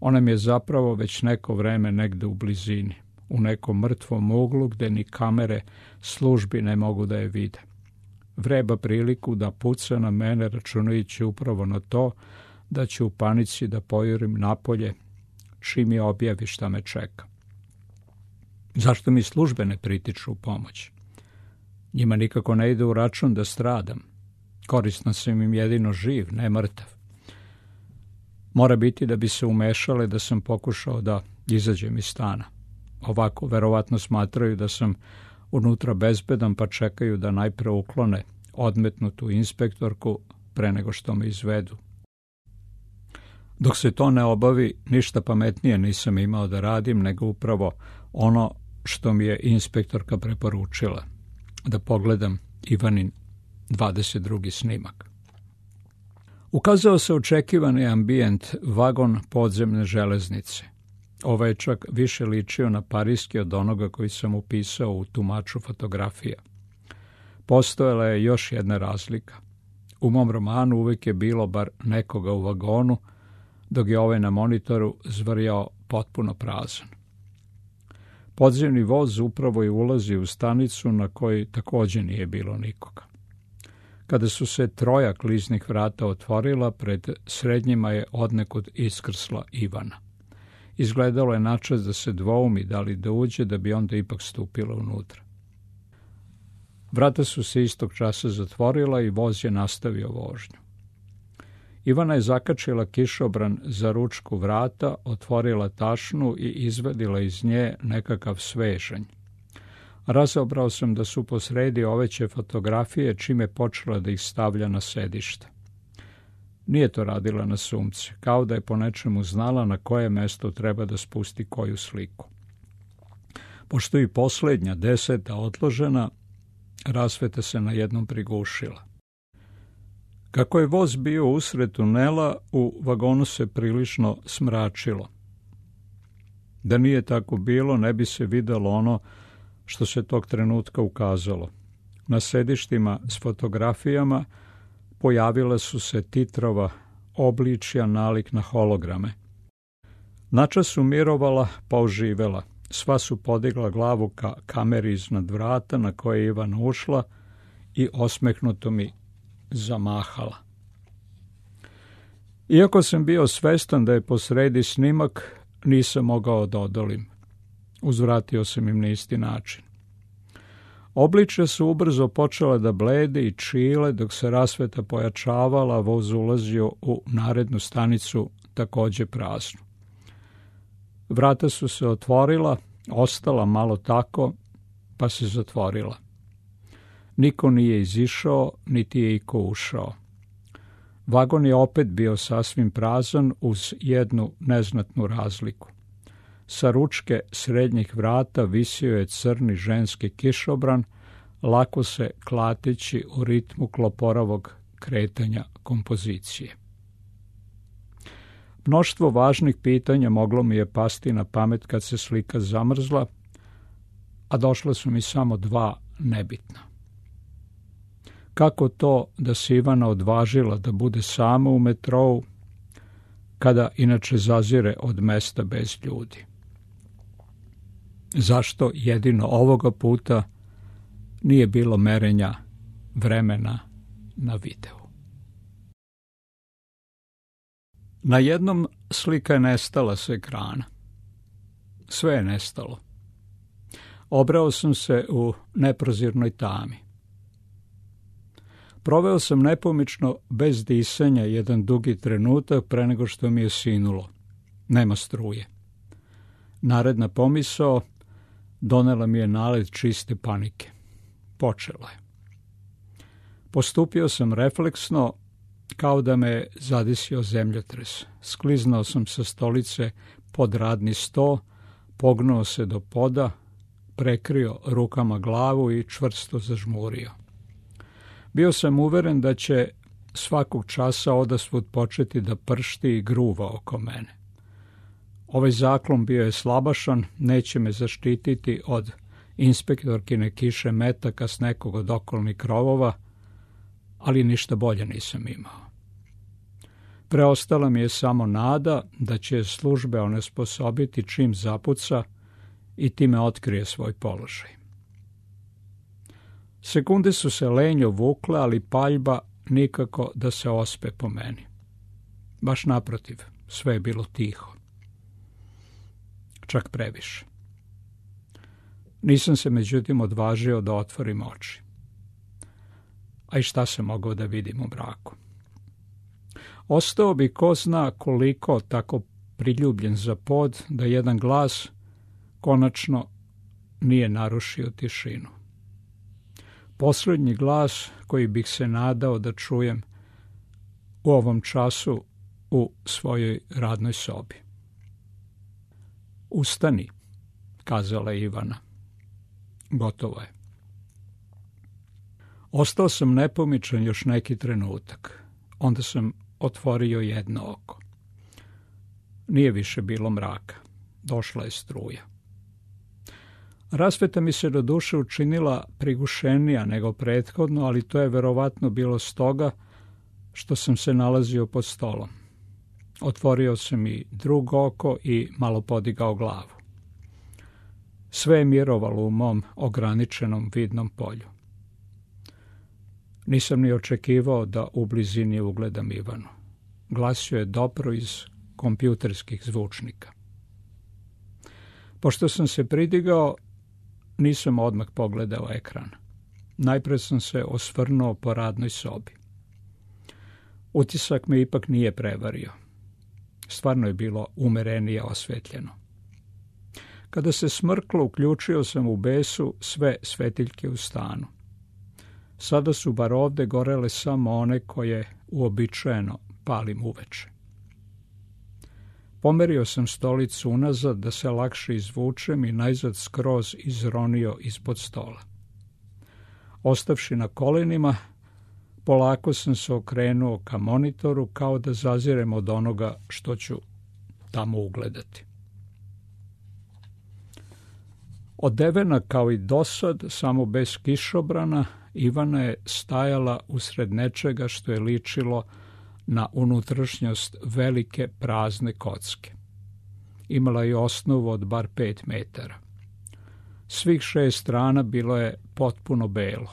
Ona mi je zapravo već neko vreme negde u blizini, u nekom mrtvom uglu gde ni kamere službi ne mogu da je vide. Vreba priliku da puca na mene računajući upravo na to da će u panici da pojurim napolje čim je objavi šta me čeka. Zašto mi službe ne pritiču u pomoć? Njima nikako ne ide u račun da stradam. Koristan sam im jedino živ, ne mrtav. Mora biti da bi se umešale da sam pokušao da izađem iz stana. Ovako, verovatno smatraju da sam unutra bezbedan, pa čekaju da najpre uklone odmetnutu inspektorku pre nego što me izvedu. Dok se to ne obavi, ništa pametnije nisam imao da radim nego upravo ono što mi je inspektorka preporučila, da pogledam Ivanin dvadeset drugi snimak. Ukazao se očekivani ambijent, vagon podzemne železnice. Ovaj je čak više ličio na pariski od onoga koji sam upisao u tumaču fotografija. Postojala je još jedna razlika. U mom romanu uvijek je bilo bar nekoga u vagonu, dok je ovaj na monitoru zvrjao potpuno prazan. Podzemni voz upravo je ulazi u stanicu na kojoj također nije bilo nikoga. Kada su se troja kliznih vrata otvorila, pred srednjima je odnekud iskrsla Ivana. Izgledalo je načas da se dvoumi da li da uđe, da bi onda ipak stupila unutra. Vrata su se istog časa zatvorila i voz je nastavio vožnju. Ivana je zakačila kišobran za ručku vrata, otvorila tašnu i izvadila iz nje nekakav svežanj. Razobrao sam da su posredi oveće fotografije, čime je počela da ih stavlja na sedište. Nije to radila na sumce, kao da je po nečemu znala na koje mesto treba da spusti koju sliku. Pošto i posljednja, deseta, odložena, rasveta se na jednom prigušila. Kako je voz bio usred tunela, u vagonu se prilično smračilo. Da nije tako bilo, ne bi se videlo ono što se tog trenutka ukazalo. Na sedištima s fotografijama pojavila su se titrova obličja nalik na holograme. Načas su mirovala pa oživela. Sva su podigla glavu ka kameri iznad vrata na koje je Ivana ušla i osmehnuto mi zamahala. Iako sam bio svestan da je posredi snimak, nisam mogao da odolim. Uzvratio sam im na isti način. Obličja su ubrzo počela da blede i čile, dok se rasveta pojačavala, voz ulazio u narednu stanicu, također praznu. Vrata su se otvorila, ostala malo tako, pa se zatvorila. Niko nije izišao, niti je iko ušao. Vagon je opet bio sasvim prazan uz jednu neznatnu razliku. Sa ručke srednjih vrata visio je crni ženski kišobran, lako se klateći u ritmu kloporavog kretanja kompozicije. Mnoštvo važnih pitanja moglo mi je pasti na pamet kad se slika zamrzla, a došla su mi samo dva nebitna. Kako to da se Ivana odvažila da bude sama u metrou, kada inače zazire od mesta bez ljudi? Zašto jedino ovoga puta nije bilo merenja vremena na videu? Na jednom slika je nestala s ekrana. Sve je nestalo. Obrao sam se u neprozirnoj tami. Proveo sam nepomično, bez disanja, jedan dugi trenutak pre nego što mi je sinulo. Nema struje. Naredna pomisao donela mi je nalet čiste panike. Počela je. Postupio sam refleksno, kao da me zadesio zemljotres. Skliznao sam sa stolice pod radni sto, pognuo se do poda, prekrio rukama glavu i čvrsto zažmurio. Bio sam uveren da će svakog časa odasvud početi da pršti i gruva oko mene. Ovaj zaklon bio je slabašan, neće me zaštititi od inspektorkine kiše metaka s nekog od okolnih krovova, ali ništa bolje nisam imao. Preostala mi je samo nada da će službe onesposobiti čim zapuca i time otkrije svoj položaj. Sekunde su se lenjo vukle, ali paljba nikako da se ospe po meni. Baš naprotiv, sve je bilo tiho. Čak previše. Nisam se međutim odvažio da otvorim oči. A i šta se mogao da vidim u mraku? Ostao bi ko zna koliko tako priljubljen za pod da jedan glas konačno nije narušio tišinu. Posljednji glas koji bih se nadao da čujem u ovom času u svojoj radnoj sobi. Ustani, kazala je Ivana. Gotovo je. Ostao sam nepomičan još neki trenutak. Onda sam otvorio jedno oko. Nije više bilo mraka. Došla je struja. Rasveta mi se do duše učinila prigušenija nego prethodno, ali to je verovatno bilo stoga što sam se nalazio pod stolom. Otvorio sam i drugo oko i malo podigao glavu. Sve je mirovalo u mom ograničenom vidnom polju. Nisam ni očekivao da u blizini ugledam Ivanu. Glasio je dobro iz kompjuterskih zvučnika. Pošto sam se pridigao, nisam odmah pogledao ekran. Najpre sam se osvrnuo po radnoj sobi. Utisak me ipak nije prevario. Stvarno je bilo umerenije osvetljeno. Kada se smrklo, uključio sam u besu sve svetiljke u stanu. Sada su bar ovde gorele samo one koje uobičajeno palim uveče. Pomerio sam stolicu unazad da se lakše izvučem i najzad skroz izronio ispod stola. Ostavši na kolenima, polako sam se okrenuo ka monitoru kao da zazirem od onoga što ću tamo ugledati. Odevena kao i dosad, samo bez kišobrana, Ivana je stajala usred nečega što je ličilo na unutrašnjost velike prazne kocke. Imala je osnovu od bar pet metara. Svih šest strana bilo je potpuno belo.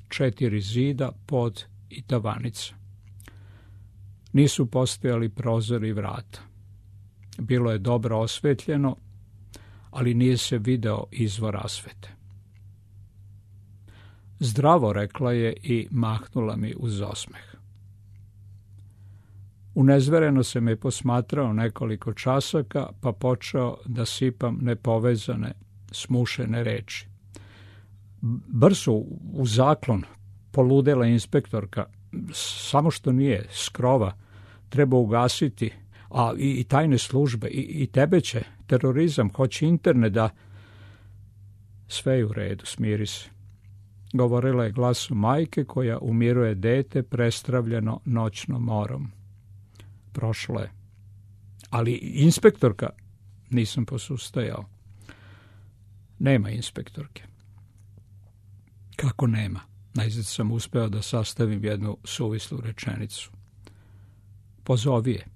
Četiri zida, pod i tavanica. Nisu postojali prozori i vrata. Bilo je dobro osvetljeno, ali nije se video izvor rasvete. Zdravo, rekla je i mahnula mi uz osmeh. Unezvereno se me posmatrao nekoliko časaka, pa počeo da sipam nepovezane, smušene reči. Brzo, u zaklon, poludela inspektorka, samo što nije, s krova, treba ugasiti, a i, i tajne službe, i, i tebe će, terorizam, hoće internet da... Sve je u redu, smiri se. Govorila je glasom majke koja umiruje dete prestravljeno noćnom morom. Prošlo je. Ali inspektorka, nisam posustajao. Nema inspektorke. Kako nema? Najzad sam uspeo da sastavim jednu suvislu rečenicu. Pozovi je.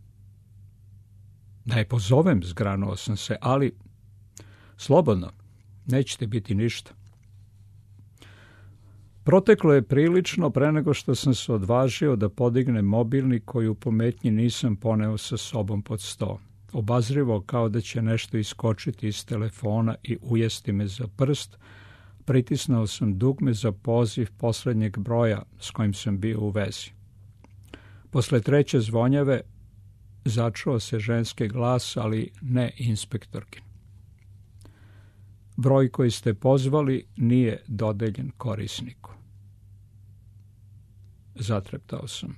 Da je pozovem, zgranuo sam se, ali slobodno, nećete biti ništa. Proteklo je prilično pre nego što sam se odvažio da podignem mobilni koji u pometnji nisam poneo sa sobom pod sto. Obazrivo kao da će nešto iskočiti iz telefona i ujesti me za prst, pritisnuo sam dugme za poziv poslednjeg broja s kojim sam bio u vezi. Posle treće zvonjave začuo se ženski glas, ali ne inspektorkin. Broj koji ste pozvali nije dodeljen korisniku. Zatreptao sam.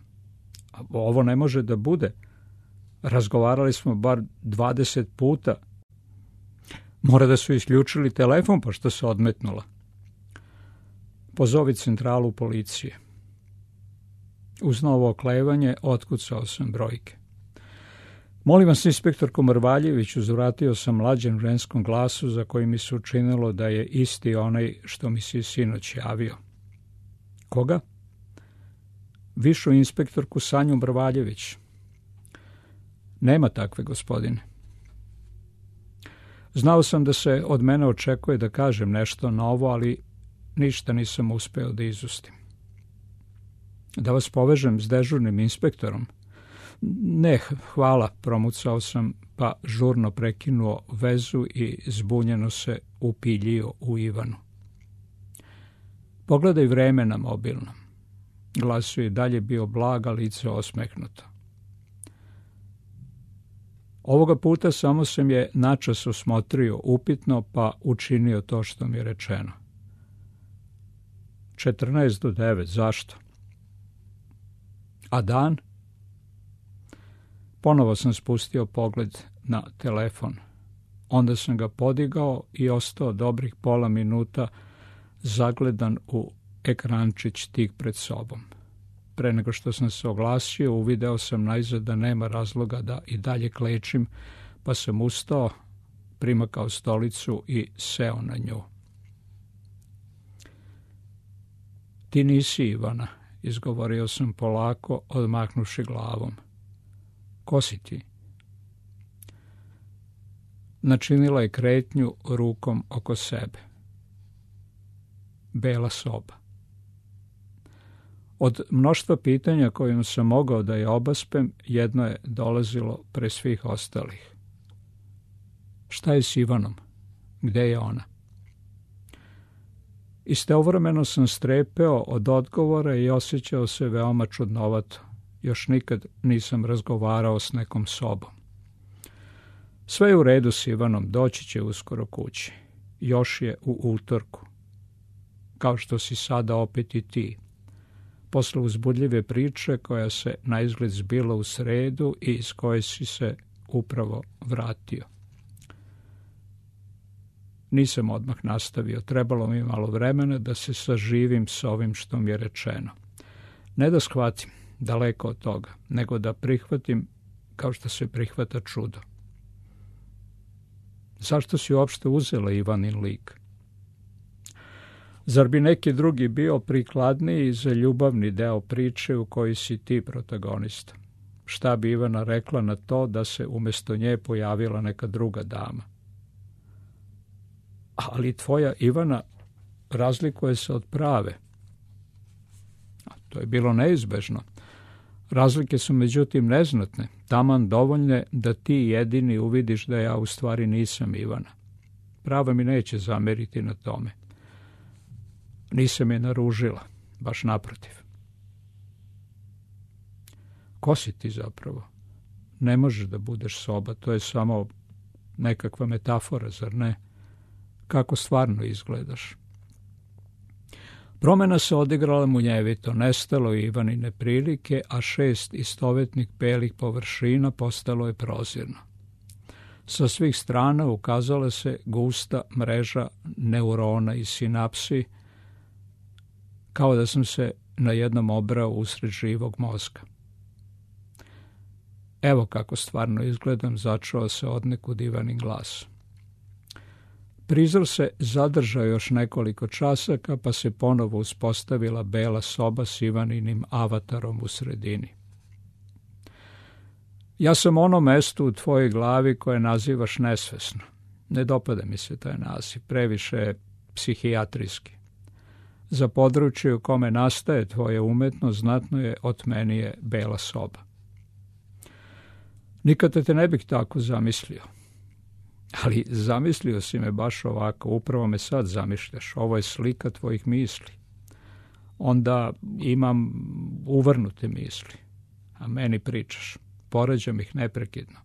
A ovo ne može da bude. Razgovarali smo bar dvadeset puta. Mora da su isključili telefon, pa što se odmetnula. Pozovi centralu policije. Uz novo oklevanje otkucao sam brojke. Molim vas, inspektorko Mrvaljević, uzvratio sam mlađem ženskom glasu za koji mi se učinilo da je isti onaj što mi se sinoć javio. Koga? Višu inspektorku Sanju Mrvaljević. Nema takve, gospodine. Znao sam da se od mene očekuje da kažem nešto novo, ali ništa nisam uspeo da izustim. Da vas povežem s dežurnim inspektorom? Ne, hvala, promucao sam, pa žurno prekinuo vezu i zbunjeno se upiljio u Ivanu. Pogledaj vreme na mobilnom. Glas je dalje bio blaga, lice osmehnuto. Ovoga puta samo sam je načas osmotrio upitno, pa učinio to što mi je rečeno. četrnaest do devet, zašto? A dan? Ponovo sam spustio pogled na telefon. Onda sam ga podigao i ostao dobrih pola minuta zagledan u ekrančić tik pred sobom. Pre nego što sam se oglasio, uvideo sam najzad da nema razloga da i dalje klečim, pa sam ustao, primakao stolicu i seo na nju. Ti nisi Ivana, izgovorio sam polako, odmahnuši glavom. Ko si ti? Načinila je kretnju rukom oko sebe. Bela soba. Od mnoštva pitanja kojim sam mogao da je obaspem, jedno je dolazilo pre svih ostalih. Šta je s Ivanom? Gde je ona? Istovremeno sam strepeo od odgovora i osjećao se veoma čudnovato. Još nikad nisam razgovarao s nekom sobom. Sve je u redu s Ivanom, doći će uskoro kući. Još je u utorku. Kao što si sada opet i ti. Posle uzbudljive priče koja se naizgled zbila u sredu i iz koje si se upravo vratio. Nisam odmah nastavio, trebalo mi malo vremena da se saživim s ovim što mi je rečeno. Ne da shvatim, daleko od toga, nego da prihvatim kao što se prihvata čudo. Zašto si uopšte uzela Ivanin lik? Zar bi neki drugi bio prikladniji za ljubavni deo priče u kojoj si ti protagonista? Šta bi Ivana rekla na to da se umjesto nje pojavila neka druga dama? Ali tvoja Ivana razlikuje se od prave. To je bilo neizbežno. Razlike su međutim neznatne, taman dovoljne da ti jedini uvidiš da ja u stvari nisam Ivana. Prava mi neće zameriti na tome. Nisam je naružila, baš naprotiv. Ko si ti zapravo? Ne možeš da budeš soba, to je samo nekakva metafora, zar ne? Kako stvarno izgledaš? Promena se odigrala munjevito, nestalo je Ivanine prilike, a šest istovetnih belih površina postalo je prozirno. Sa svih strana ukazala se gusta mreža neurona i sinapsi, kao da sam se na jednom obrao usred živog mozga. Evo kako stvarno izgledam, začuo se odnekud Ivanin glas. Prizor se zadržao još nekoliko časaka, pa se ponovo uspostavila bela soba s Ivaninim avatarom u sredini. Ja sam ono mesto u tvojoj glavi koje nazivaš nesvesno. Ne dopada mi se taj naziv, previše je psihijatrijski. Za područje u kome nastaje tvoja umetnost znatno je otmenije bela soba. Nikada te ne bih tako zamislio. Ali zamislio si me baš ovako, upravo me sad zamišljaš, ovo je slika tvojih misli. Onda imam uvrnute misli, a meni pričaš, poređam ih neprekidno.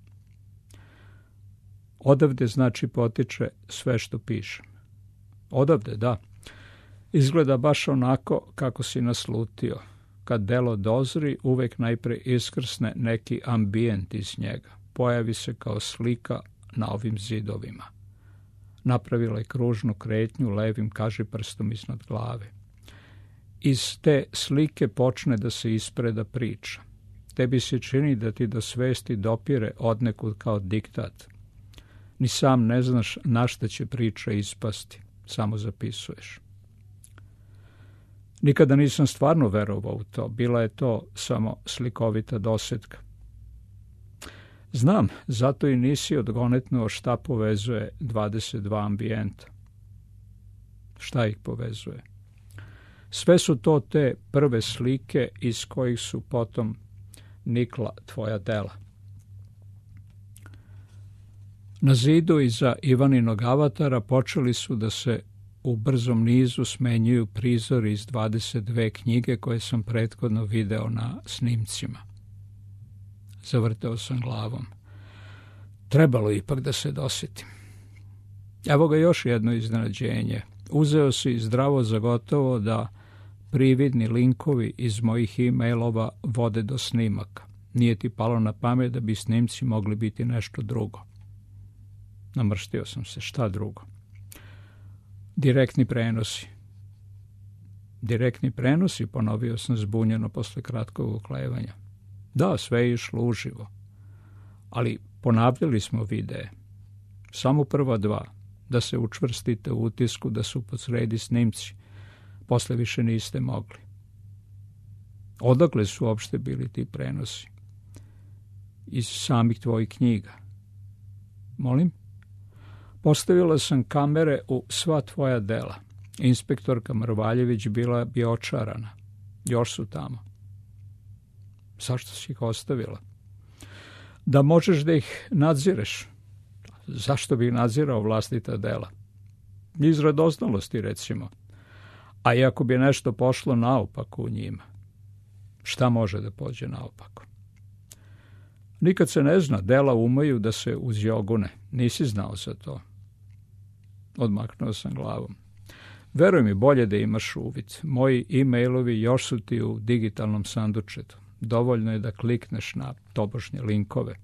Odavde znači potiče sve što pišem. Odavde, da. Izgleda baš onako kako si naslutio. Kad delo dozri, uvek najpre iskrsne neki ambijent iz njega. Pojavi se kao slika na ovim zidovima. Napravila je kružnu kretnju levim kažiprstom iznad glave. Iz te slike počne da se ispreda priča. Tebi se čini da ti do svesti dopire odnekud kao diktat. Ni sam ne znaš na šta će priča ispasti, samo zapisuješ. Nikada nisam stvarno verovao u to, bila je to samo slikovita dosetka. Znam, zato i nisi odgonetnuo šta povezuje dvadeset dva ambijenta. Šta ih povezuje? Sve su to te prve slike iz kojih su potom nikla tvoja dela. Na zidu iza Ivaninog avatara počeli su da se u brzom nizu smenjuju prizori iz dvadeset dve knjige koje sam prethodno video na snimcima. Zavrteo sam glavom. Trebalo ipak da se dosjetim. Evo ga još jedno iznenađenje. Uzeo si zdravo za gotovo da prividni linkovi iz mojih e-mailova vode do snimaka. Nije ti palo na pamet da bi snimci mogli biti nešto drugo. Namrštio sam se. Šta drugo? Direktni prenosi. Direktni prenosi, ponovio sam zbunjeno posle kratkog uklevanja. Da, sve je išlo uživo. Ali ponavljali smo videe. Samo prva dva, da se učvrstite u utisku da su posredi snimci. Posle više niste mogli. Odakle su uopšte bili ti prenosi? Iz samih tvojih knjiga. Molim? Postavila sam kamere u sva tvoja dela. Inspektorka Mrvaljević bila bi očarana. Još su tamo. Zašto si ih ostavila? Da možeš da ih nadzireš. Zašto bi nadzirao vlastita dela? Iz radoznalosti, recimo. A i ako bi nešto pošlo naopako u njima, šta može da pođe naopako? Nikad se ne zna, dela umeju da se uzjogune. Nisi znao za to. Odmaknuo sam glavom. Veruj mi, bolje da imaš uvid. Moji e-mailovi još su ti u digitalnom sandučetu. Dovoljno je da klikneš na tobožnje linkove.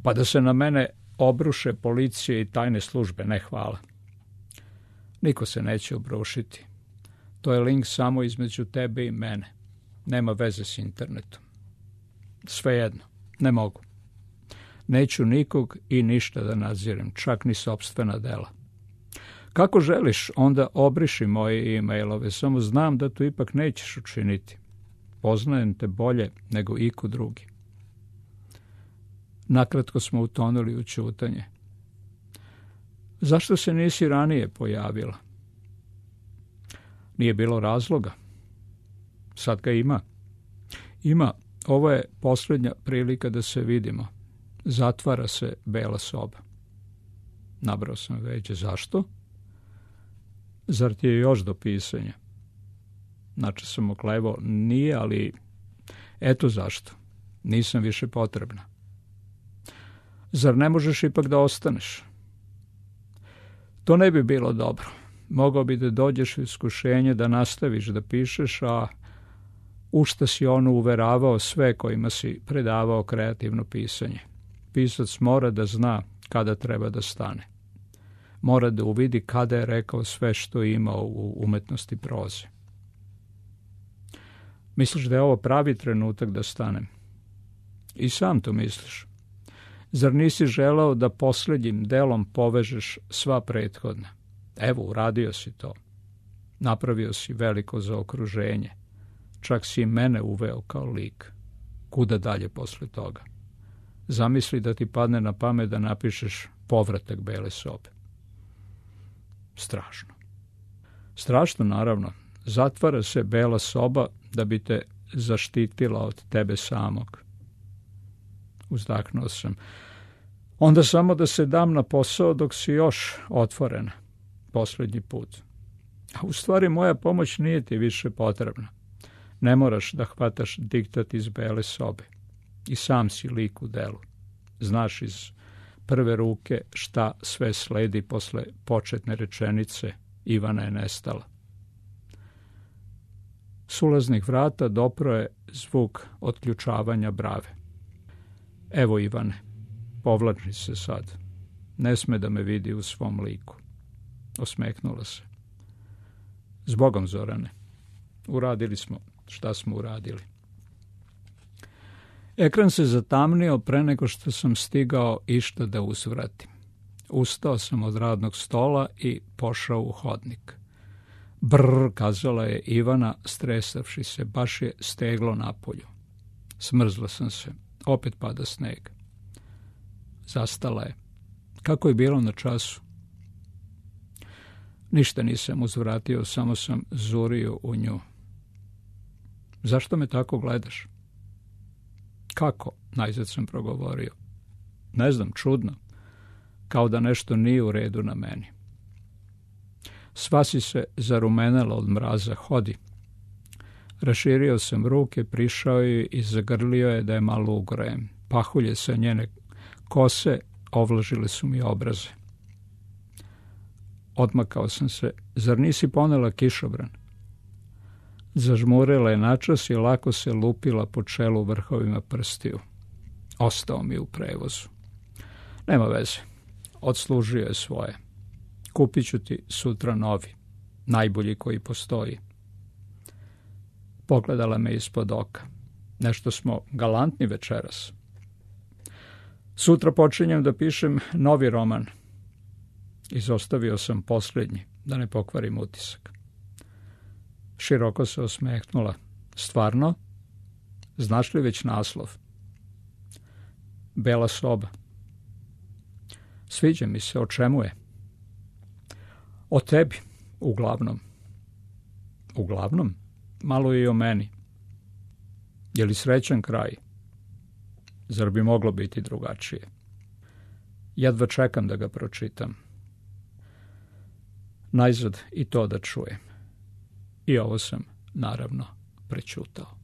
Pa da se na mene obruše policije i tajne službe, ne hvala. Niko se neće obrušiti. To je link samo između tebe i mene. Nema veze s internetom. Svejedno, ne mogu. Neću nikog i ništa da nadzirem, čak ni sopstvena dela. Kako želiš, onda obriši moje e-mailove, samo znam da to ipak nećeš učiniti. Poznajem te bolje nego iko drugi. Nakratko smo utonuli u ćutanje. Zašto se nisi ranije pojavila? Nije bilo razloga. Sad ga ima. Ima. Ovo je posljednja prilika da se vidimo. Zatvara se bela soba. Nabrao sam veće. Zašto? Zar ti je još do pisanja? Znači sam oklevao. Nije, ali eto zašto. Nisam više potrebna. Zar ne možeš ipak da ostaneš? To ne bi bilo dobro. Mogao bi da dođeš u iskušenje da nastaviš da pišeš, a u šta si ono uveravao sve kojima si predavao kreativno pisanje. Pisac mora da zna kada treba da stane. Mora da uvidi kada je rekao sve što je imao u umetnosti proze. Misliš da je ovo pravi trenutak da stanem? I sam to misliš. Zar nisi želeo da posljednjim delom povežeš sva prethodna? Evo, uradio si to. Napravio si veliko zaokruženje. Čak si i mene uveo kao lik. Kuda dalje posle toga? Zamisli da ti padne na pamet da napišeš povratak bele sobe. Strašno. Strašno, naravno. Zatvara se bela soba da bi te zaštitila od tebe samog. Uzdahnuo sam. Onda samo da se dam na posao dok si još otvorena. Posljednji put. A u stvari moja pomoć nije ti više potrebna. Ne moraš da hvataš diktat iz bele sobe. I sam si lik u delu. Znaš iz prve ruke šta sve sledi posle početne rečenice Ivana je nestala. S ulaznih vrata dopro je zvuk otključavanja brave. Evo Ivane, povlači se sad. Ne sme da me vidi u svom liku. Osmeknula se. Zbogom, Zorane. Uradili smo šta smo uradili. Ekran se zatamnio pre nego što sam stigao išta da uzvratim. Ustao sam od radnog stola i pošao u hodnik. Brr, kazala je Ivana, stresavši se, baš je steglo napolju. Smrzla sam se, opet pada sneg. Zastala je. Kako je bilo na času? Ništa nisam uzvratio, samo sam zurio u nju. Zašto me tako gledaš? Kako? Najzad sam progovorio. Ne znam, čudno. Kao da nešto nije u redu na meni. Sva si se zarumenela od mraza. Hodi. Raširio sam ruke, prišao joj i zagrlio je da je malo ugrejem. Pahulje sa njene kose ovlažile su mi obraze. Odmakao sam se. Zar nisi ponela kišobran? Zažmurila je načas i lako se lupila po čelu vrhovima prstiju. Ostao mi u prevozu. Nema veze. Odslužio je svoje. Kupit ću ti sutra novi. Najbolji koji postoji. Pogledala me ispod oka. Nešto smo galantni večeras. Sutra počinjem da pišem novi roman. Izostavio sam posljednji, da ne pokvarim utisak. Široko se osmehnula. Stvarno? Znaš li već naslov? Bela soba. Sviđa mi se, o čemu je? O tebi, uglavnom. Uglavnom? Malo je i o meni. Je li srećan kraj? Zar bi moglo biti drugačije? Jedva čekam da ga pročitam. Najzad i to da čujem. I ovo sam, naravno, prećutao.